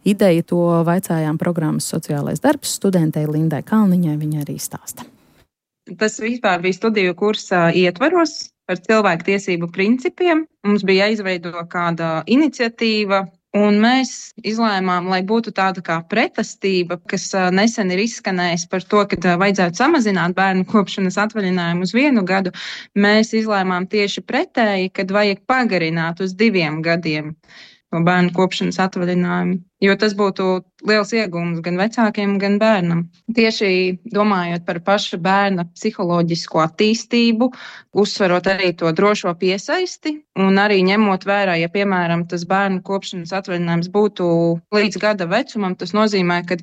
ideja? To vaicājām programmas sociālais darbs studentei Lindai Kalniņai, viņa arī stāsta. Tas vispār bija studiju kursa ietvaros par cilvēku tiesību principiem. Mums bija jāizveido kāda iniciatīva, un mēs izlēmām, lai būtu tāda kā pretestība, kas nesen ir izskanējis par to, ka vajadzētu samazināt bērnu kopšanas atvaļinājumu uz 1 gadu. Mēs izlēmām tieši pretēji, kad vajag pagarināt uz 2 gadiem no bērnu kopšanas atvaļinājumu, jo tas būtu liels iegūms gan vecākiem, gan bērnam. Tieši domājot par paša bērna psiholoģisko attīstību, uzsverot arī to drošo piesaisti un arī ņemot vērā, ja, piemēram, tas bērnu kopšanas atvaļinājums būtu līdz gada vecumam, tas nozīmē, ka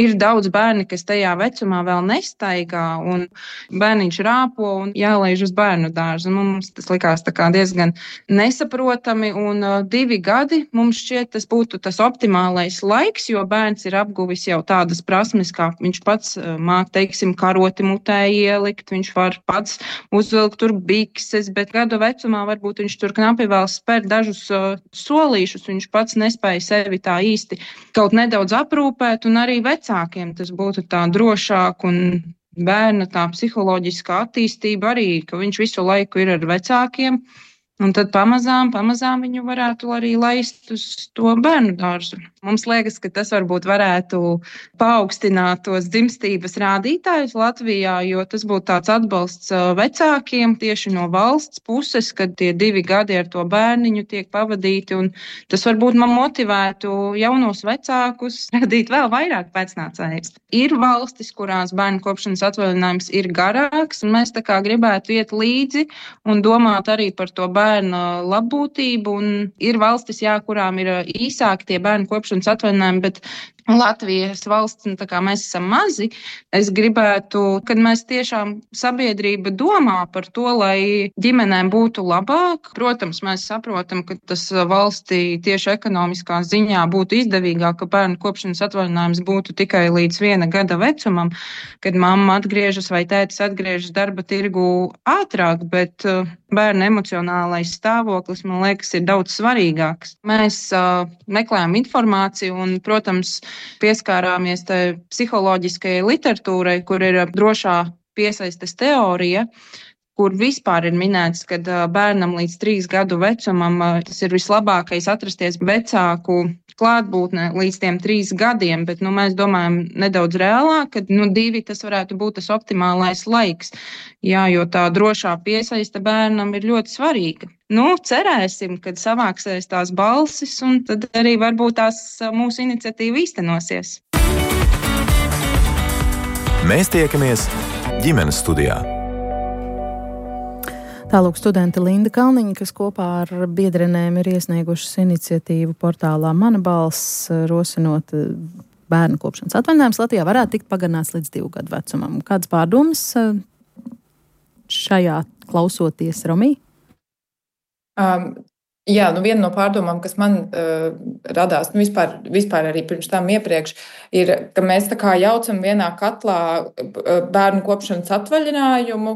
ir daudz bērni, kas tajā vecumā vēl nestaigā un bērniņš rāpo un jālaiž uz bērnu dārzu. Mums tas likās tā kā diezgan nesaprotami un 2 gadi mums šķiet tas būtu tas optimālais laiks, jo bērns ir apguvis jau tādas prasmes, kā viņš pats māk, teiksim, karoti mutē ielikt, viņš var pats uzvilkt tur bikses, bet gadu vecumā varbūt viņš tur knapi vēl spēr dažus solīšus, viņš pats nespēja sevi tā īsti kaut nedaudz aprūpēt, un arī vecākiem tas būtu tā drošāk un bērna tā psiholoģiskā attīstība arī, ka viņš visu laiku ir ar vecākiem. Un tad pamazām viņu varētu arī laist uz to bērnu dārzu. Mums liekas, ka tas varbūt varētu paaugstināt tos dzimstības rādītājus Latvijā, jo tas būtu tāds atbalsts vecākiem tieši no valsts puses, kad tie 2 gadi ar to bērniņu tiek pavadīti. Un tas varbūt man motivētu jaunos vecākus radīt vēl vairāk pēcnācējus. Ir valstis, kurās bērnu kopšanas atvaļinājums ir garāks, un mēs tā kā gribētu iet līdzi un domāt arī par to bērnu labbūtību, un ir valstis, kurām ir īsāki tie bērnu kopšanas atvaļinājumi, bet Latvijas valsts, tā kā mēs esam mazi, es gribētu, kad mēs tiešām sabiedrība domā par to, lai ģimenēm būtu labāk. Protams, mēs saprotam, ka tas valstī tieši ekonomiskā ziņā būtu izdevīgāk, ka bērnu kopšanas atvaļinājums būtu tikai līdz 1 gada vecumam, kad mamma atgriežas vai tētis atgriežas darba tirgu ātrāk, bet bērna emocionālais stāvoklis, man liekas, ir daudz svarīgāks. Mēs meklējam informāciju un, protams, pieskārāmies psiholoģiskajai literatūrai, kur ir drošā piesaistes teorija, kur vispār ir minēts, ka bērnam līdz 3 gadu vecumam tas ir vislabākais atrasties vecāku klātbūtnē līdz tiem 3 gadiem, bet mēs domājam nedaudz reālāk, ka 2 tas varētu būt tas optimālais laiks. Jā, jo tā drošā piesaiste bērnam ir ļoti svarīga. Cerēsim, kad savāksies tās balsis, un tad arī varbūt tās mūsu iniciatīva īstenosies. Mēs tiekamies ģimenes studijā. Tālūk studente Linda Kalniņa, kas kopā ar biedrenēm ir iesniegušas iniciatīvu portālā Mana balss, rosinot bērnu kopšanas atvaļinājums Latvijā varētu tikt pagarināts līdz 2 gadu vecumam. Kādas pārdomas šajā klausoties, Romī? Jā, viena no pārdomām, kas man radās, vispār arī pirms tam iepriekš, ir, ka mēs tā kā jaucam vienā katlā bērnu kopšanas atvaļinājumu,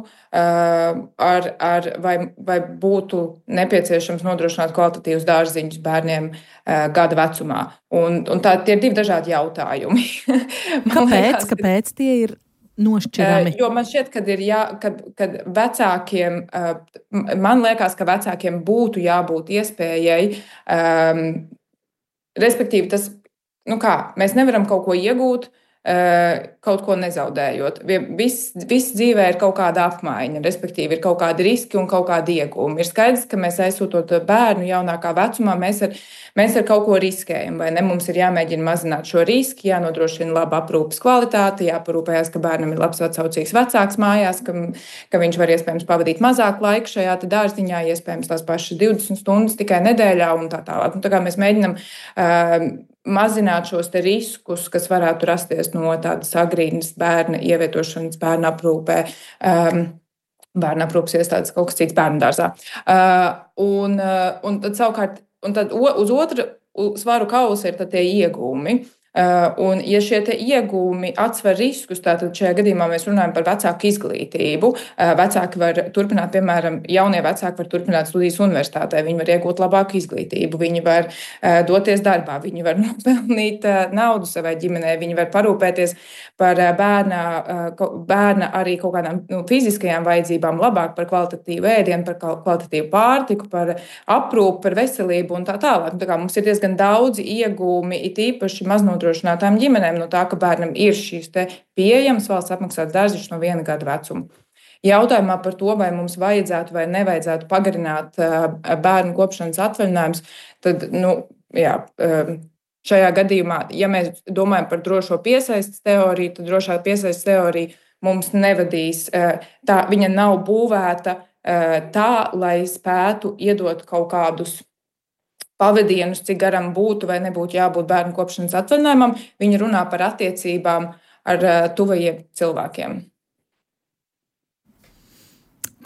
vai būtu nepieciešams nodrošināt kvalitatīvus dārziņus bērniem gada vecumā. Un tie ir 2 dažādi jautājumi. Kāpēc tie ir nošķirami? Jo man šķiet, kad vecākiem, man liekas, ka vecākiem būtu jābūt iespējai respektīvi, tas, mēs nevaram kaut ko iegūt, kaut ko nezaudējot. Viss dzīvē ir kaut kāda apmaiņa, respektīvi ir kaut kādi riski un kaut kādi iegūmi. Ir skaidrs, ka mēs aizsūtot bērnu jaunākā vecumā, mēs ar kaut ko riskējam, vai ne? Mums ir jāmēģina mazināt šo riski, jānodrošina laba aprūpes kvalitāte, jāparūpējas, ka bērnam ir labs atsaucīgs vecāks mājās, ka viņš var iespējams pavadīt mazāk laika šajā dārziņā, iespējams tās pašas 20 stundas tikai nedēļā un tā tālāk. Tā kā mēs mēģinam mazināt šos riskus, kas varētu rasties no tādas agrīnas bērna ievietošanas bērna aprūpē, bērna aprūpes iestādes, kaut kas cits bērnu dārzā. Un tad savukārt, uz otru svaru kausa ir tie iegūmi. Un, ja šie iegūmi atsver riskus, tātad šajā gadījumā mēs runājam par vecāku izglītību. Vecāki var turpināt, piemēram, jaunie vecāki var turpināt studijas universitātē, viņi var iegūt labāku izglītību, viņi var doties darbā, viņi var nopelnīt naudu savai ģimenei, viņi var parūpēties par bērna arī kaut kādām fiziskajām vajadzībām, labāk par kvalitatīvu ēdienu, par kvalitatīvu pārtiku, par aprūpu, par veselību un tā tālāk. Tā kā mums ir diezgan daudzi iegūmi, it īpaši maznodrošinātām ģimenēm no tā, ka bērnam ir šīs pieejamas valsts apmaksātas dārziņš no 1 gada vecuma. Jautājumā par to, vai mums vajadzētu vai nevajadzētu pagarināt bērnu kopšanas atvaļinājumus, tad, šajā gadījumā, ja mēs domājam par drošo piesaistes teoriju, tad drošā piesaistes teorija mums nevadīs. Viņa nav būvēta tā, lai spētu iedot kaut kādus pavadienus, cik garam būtu vai nebūtu jābūt bērnu kopšanas atvaļinājumam. Viņa runā par attiecībām ar tuvajiem cilvēkiem.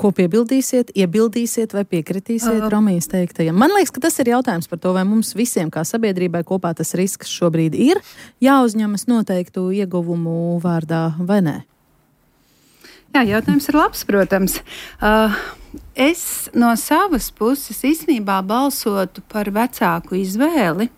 Ko piebildīsiet, iebildīsiet vai piekritīsiet Romijas teiktajam? Man liekas, ka tas ir jautājums par to, vai mums visiem kā sabiedrībai kopā tas risks šobrīd ir jāuzņemas noteiktu ieguvumu vārdā vai nē? Jā, jautājums ir labs, protams. Es no savas puses īstenībā balsotu par vecāku izvēli.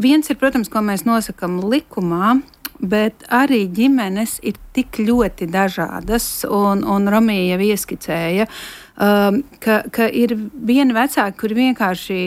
Viens ir, protams, ko mēs nosakam likumā, bet arī ģimenes ir tik ļoti dažādas, un Romija jau ieskicēja, ka ir vieni vecāki, kuri vienkārši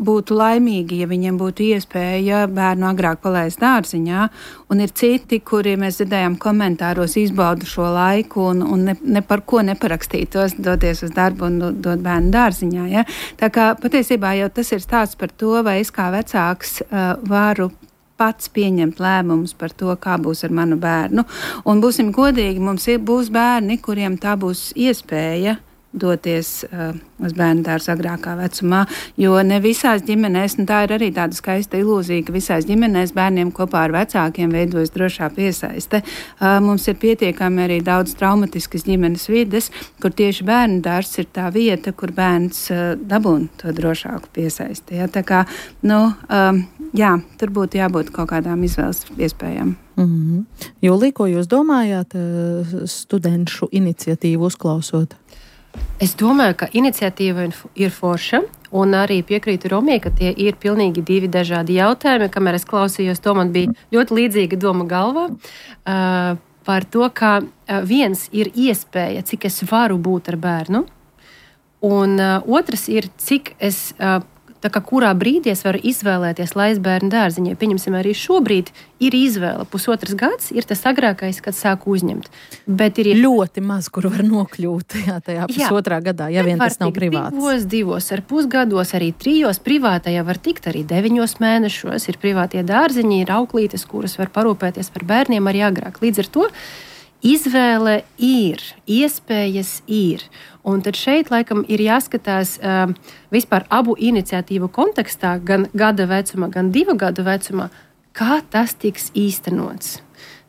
būtu laimīgi, ja viņiem būtu iespēja bērnu agrāk palaist dārziņā, un ir citi, kuri, mēs dzirdējām komentāros, izbauda šo laiku un ne par ko neparakstītos, doties uz darbu un dot bērnu dārziņā. Ja? Tā kā patiesībā jau tas ir stāsts par to, vai es kā vecāks varu pats pieņemt lēmumus par to, kā būs ar manu bērnu. Un būsim godīgi, mums būs bērni, kuriem tā būs iespēja doties uz bērnu dārzu agrākā vecumā, jo ne visās ģimenēs, un tā ir arī tāda skaista ilūzija, ka visās ģimenēs bērniem kopā ar vecākiem veidojas drošā piesaiste. Mums ir pietiekami arī daudz traumatiskas ģimenes vides, kur tieši bērnu dārzs ir tā vieta, kur bērns dabūna to drošāku piesaisti. Ja? Tā kā, tur būtu jābūt kaut kādām izvēles iespējām. Jūlija, ko jūs domājāt studenšu iniciatīvu uzklausot? Es domāju, ka iniciatīva ir forša, un arī piekrītu Romijai, ka tie ir pilnīgi divi dažādi jautājumi. Kamēr es klausījos, to man bija ļoti līdzīga doma galvā par to, ka viens ir iespēja, cik es varu būt ar bērnu, un otrs ir, cik es kurā brīdī es varu izvēlēties laist bērnu dārziņā. Pieņemsim, arī šobrīd ir izvēle. 1,5 gads ir tas agrākais, kad sāku uzņemt. Bet ir ļoti maz, kur var nokļūt tajā 1,5 gadā, ja vien tas nav privāts. 2,5 gados, arī 3 privātajā var tikt arī 9 mēnešos. Ir privātie dārziņi, ir auklītes, kuras var parūpēties par bērniem arī agrāk. Līdz ar to izvēle ir, iespējas ir. Un tad šeit, laikam, ir jāskatās vispār abu iniciatīvu kontekstā, gan gada vecumā, gan 2 gadu vecumā, kā tas tiks īstenots.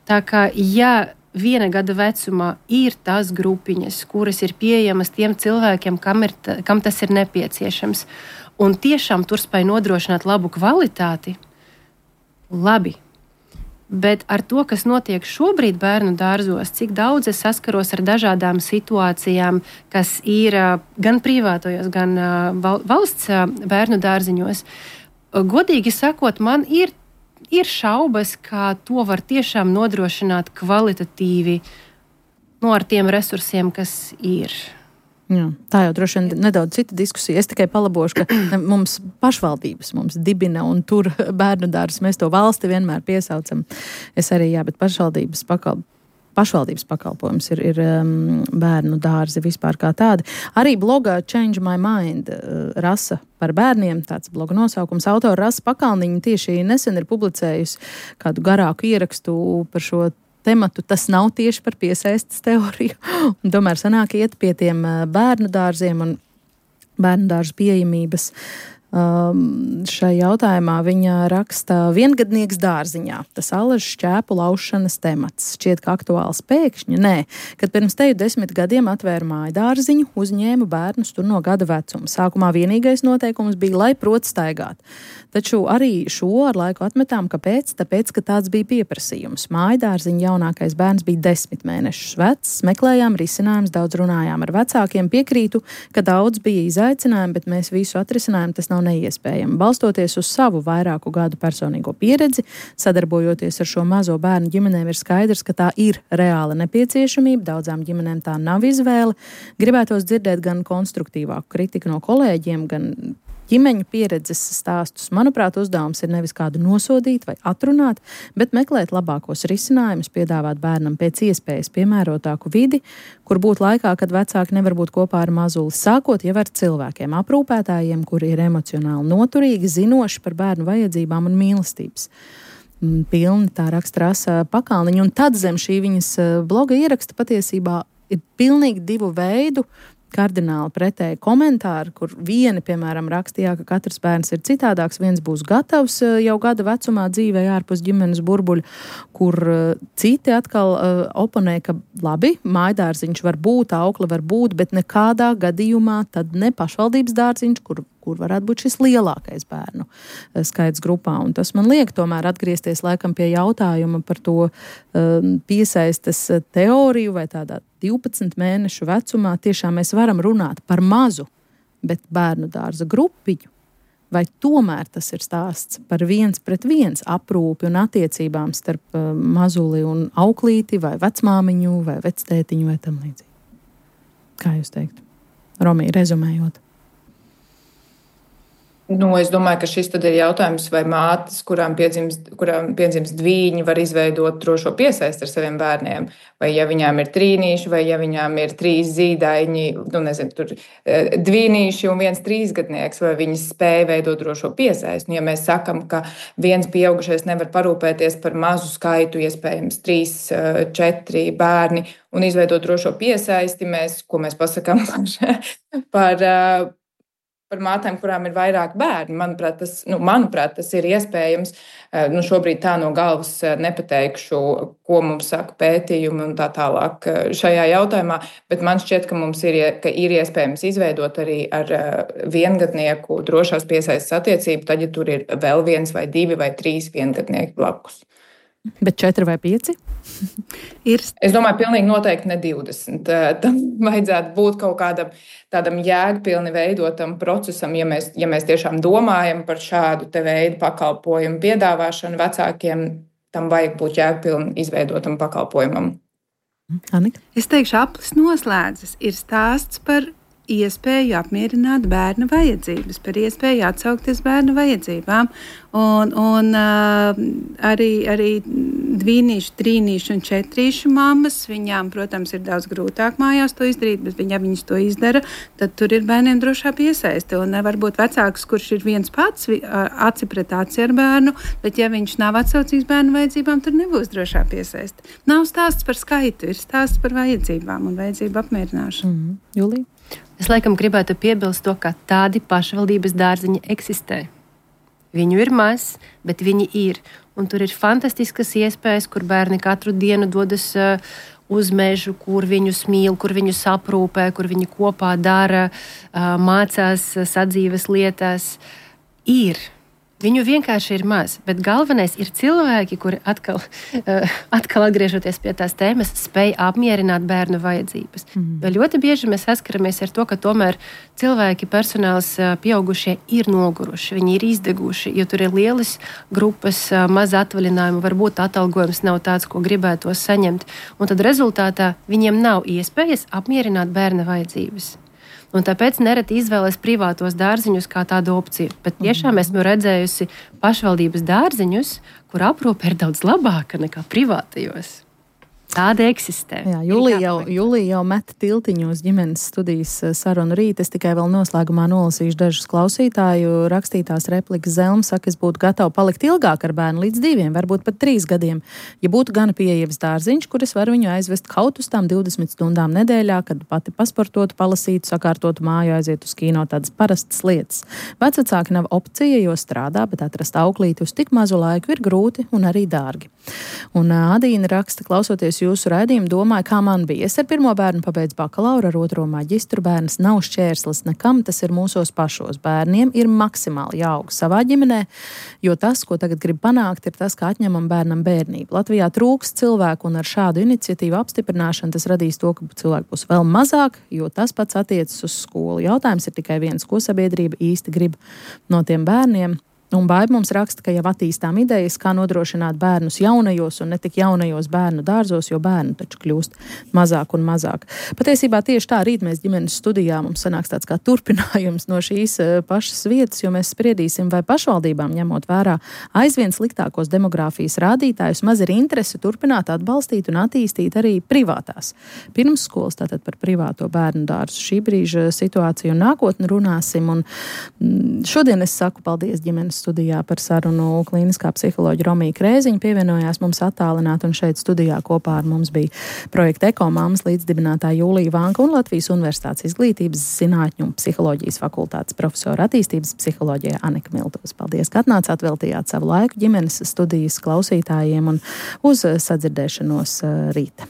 Tā kā, ja 1 gada vecumā ir tās grupiņas, kuras ir pieejamas tiem cilvēkiem, kam tas ir nepieciešams, un tiešām tur spēj nodrošināt labu kvalitāti, labi. Bet ar to, kas notiek šobrīd bērnu dārzos, cik daudz es saskaros ar dažādām situācijām, kas ir gan privātojos, gan valsts bērnu dārziņos, godīgi sakot, man ir šaubas, kā to var tiešām nodrošināt kvalitatīvi ar tiem resursiem, kas ir. Jā, tā jau droši vien nedaudz cita diskusija. Es tikai palabošu, ka mums pašvaldības mums dibina un tur bērnu dārzus. Mēs to valsti vienmēr piesaucam. Es arī, bet pašvaldības pakalpojums ir bērnu dārzi vispār kā tādi. Arī blogā Change My Mind Rasa par bērniem, tāds bloga nosaukums. Autora Rasa Pakalniņa tieši nesen ir publicējusi kādu garāku ierakstu par šo tematu. Tas nav tieši par piesaistes teoriju. Un tomēr sanāk iet pie tiem bērnu dārziem un bērnu dārzu pieejamības. Šai jautājumā viņa raksta viengadnieks dārziņā. Tas alažu šķēpu laušanas temats. Šķiet, ka aktuāls pēkšņi? Nē. Kad pirms teju 10 gadiem atvēru māju dārziņu, uzņēmu bērnus tur no gada vecuma. Sākumā vienīgais noteikums bija, lai prot staigāt. Taču arī šo ar laiku atmetām. Kāpēc? Tāpēc, ka tāds bija pieprasījums. Māju dārziņa jaunākais bērns bija 10 mēnešus vecs. Meklējām risinājumus, daudz runājām ar vecākiem. Piekrītu, ka daudz bija izaicinājumi, bet mēs visu atrisinājām. Tas nav neiespējami. Balstoties uz savu vairāku gadu personīgo pieredzi, sadarbojoties ar šo mazo bērnu ģimenēm, ir skaidrs, ka tā ir reāla nepieciešamība. Daudzām ģimenēm tā nav izvēle. Gribētos dzirdēt gan konstruktīvāku kritiku no kolēģiem, gan ģimeņu pieredzes stāstus. Manuprāt, uzdevums ir nevis kādu nosodīt vai atrunāt, bet meklēt labākos risinājumus, piedāvāt bērnam pēc iespējas piemērotāku vidi, kur būt laikā, kad vecāki nevar būt kopā ar mazuli, sākot jau ar cilvēkiem, aprūpētājiem, kuri ir emocionāli noturīgi, zinoši par bērnu vajadzībām un mīlestības. Pilni tā raksta Rasa Pakalniņa, un tad zem šī viņas bloga ieraksta patiesībā ir pilnīgi divu veidu kardināli pretēji komentāri, kur vieni, piemēram, rakstījā, ka katrs bērns ir citādāks, viens būs gatavs jau gada vecumā dzīvē ārpus ģimenes burbuļu, kur citi atkal oponē, ka labi, mājdārziņš var būt, aukla var būt, bet nekādā gadījumā tad ne pašvaldības dārziņš, kur varētu būt šis lielākais bērnu skaits grupā. Un tas man liek tomēr atgriezties laikam pie jautājuma par to piesaistes teoriju vai tādā 12 mēnešu vecumā. Tiešām mēs varam runāt par mazu, bet bērnu dārza grupiņu. Vai tomēr tas ir stāsts par 1-pret-1 aprūpi un attiecībām starp mazuli un auklīti vai vecmāmiņu vai vectētiņu vai tam līdzīgi? Kā jūs teiktu? Romī, rezumējot. Es domāju, ka šis tad ir jautājums, vai mātes, kurām piedzimst dvīņi, var izveidot drošo piesaisti ar saviem bērniem. Vai ja viņām ir trīnīši, vai ja viņām ir 3 zīdaiņi, tur dvīnīši un 1 3-gadnieks, vai viņi spēja veidot drošo piesaisti. Ja mēs sakam, ka viens pieaugušais nevar parūpēties par mazu skaitu, iespējams 3, 4 bērni un izveidot drošo piesaisti, ko mēs pasakām par mātēm, kurām ir vairāk bērni. Manuprāt, tas ir iespējams. Šobrīd tā no galvas nepateikšu, ko mums saka pētījumi un tā tālāk šajā jautājumā, bet man šķiet, ka ir iespējams izveidot arī ar viengadnieku drošās piesaistes attiecību, tad, ja tur ir vēl 1 vai 2 vai 3 viengadnieki blakus. Bet 4 vai 5? Es domāju, pilnīgi noteikti ne 20. Tam vajadzētu būt kaut kādam tādam jēgpilni veidotam procesam, ja mēs tiešām domājam par šādu te veidu pakalpojumu piedāvāšanu vecākiem, tam vajag būt jēgpilni izveidotam pakalpojumam. Anika? Es teikšu, aplis noslēdzas. Ir stāsts par iespēju apmierināt bērna vajadzības, par iespēju atsaukties bērna vajadzībām. Un arī dvīnīšu, trīnīšu un četrīšu mammas, viņām, protams, ir daudz grūtāk mājās to izdarīt, bet viņas to izdara, tad tur ir bērniem drošā piesaiste. Un varbūt vecāks, kurš ir viens pats aci pret aci ar bērnu, bet ja viņš nav atsaucīgs bērnu vajadzībām, tur nebūs drošā piesaiste. Nav stāsts par skaitu, ir stāsts par vajadzībām un vajadzību apmierināšanu. Julija? Es laikam gribētu piebilst to, ka tādi pašvaldības dārziņi eksistē. Viņu ir maz, bet viņi ir. Un tur ir fantastiskas iespējas, kur bērni katru dienu dodas uz mežu, kur viņus mīl, kur viņus aprūpē, kur viņi kopā dara, mācās sadzīves lietās. Ir. Viņu vienkārši ir maz, bet galvenais ir cilvēki, kuri atkal atgriežoties pie tās tēmas, spēj apmierināt bērnu vajadzības. Jo ļoti bieži mēs saskaramies ar to, ka tomēr cilvēki, personāls pieaugušie ir noguruši, viņi ir izdeguši, jo tur ir lielas grupas, maz atvaļinājumu, varbūt atalgojums nav tāds, ko gribētos saņemt. Un tad rezultātā viņiem nav iespējas apmierināt bērna vajadzības. Un tāpēc nereti izvēlēs privātos dārziņus kā tādu opciju. Bet tiešām esmu redzējusi pašvaldības dārziņus, kur aprūpe ir daudz labāka nekā privātajos. Tāda eksistē. Jā, Julija jau met tiltiņos ģimenes studijas sarunu rīt. Es tikai vēl noslēgumā nolasīšu dažus klausītāju rakstītās replikas. Zelma saka, es būtu gatava palikt ilgāk ar bērnu līdz 2, varbūt pat 3 gadiem. Ja būtu gana pieejams dārziņš, kur es varu viņu aizvest kaut uz tām 20 stundām nedēļā, kad pati pasportotu, palasītu, sakārtotu māju, aiziet uz kino, tādas parastas lietas. Vecvecāki nav opcija, jo strādā, bet atrast auklīti uz tik mazu laiku ir grūti un arī dārgi. Un Adīna raksta, klausoties jūsu raidījumu, domāju, kā man bija. Es ar pirmo bērnu pabeidzu bakalauru, ar otro maģistru. Bērns nav šķērslis nekam, tas ir mūsos pašos. Bērniem ir maksimāli jāaug savā ģimenē, jo tas, ko tagad grib panākt, ir tas, kā atņemam bērnam bērnību. Latvijā trūkst cilvēku, un ar šādu iniciatīvu apstiprināšanu tas radīs to, ka cilvēku būs vēl mazāk, jo tas pats attiecas uz skolu. Jautājums ir tikai viens, ko sabiedrība īsti grib no tiem bērniem. Un Baiba mums raksta, ka jau attīstām idejas, kā nodrošināt bērnus jaunajos un ne tik jaunajos bērnu dārzos, jo bērnu taču kļūst mazāk un mazāk. Patiesībā tieši tā rīt mēs ģimenes studijā mums sanāks tāds kā turpinājums no šīs pašas vietas, jo mēs spriedīsim, vai pašvaldībām ņemot vērā aizvien sliktākos demogrāfijas rādītājus, maz ir interese turpināt atbalstīt un attīstīt arī privātās pirmsskolas, tātad par privāto bērnu dārzu. Šī brīža situāciju un nākotni runāsim. Un šodien es saku paldies ģimenes studijā par sarunu klīniskā psiholoģa Romija Krēziņa pievienojās mums attālināt, un šeit studijā kopā ar mums bija projekta Ekomāmas līdzdibinātāja Jūlija Vanka un Latvijas Universitātes izglītības zinātņu un psiholoģijas fakultātes profesora attīstības psiholoģijā Anika Miltos. Paldies, ka atnācāt, veltījāt savu laiku ģimenes studijas klausītājiem, un uz sadzirdēšanos rīt.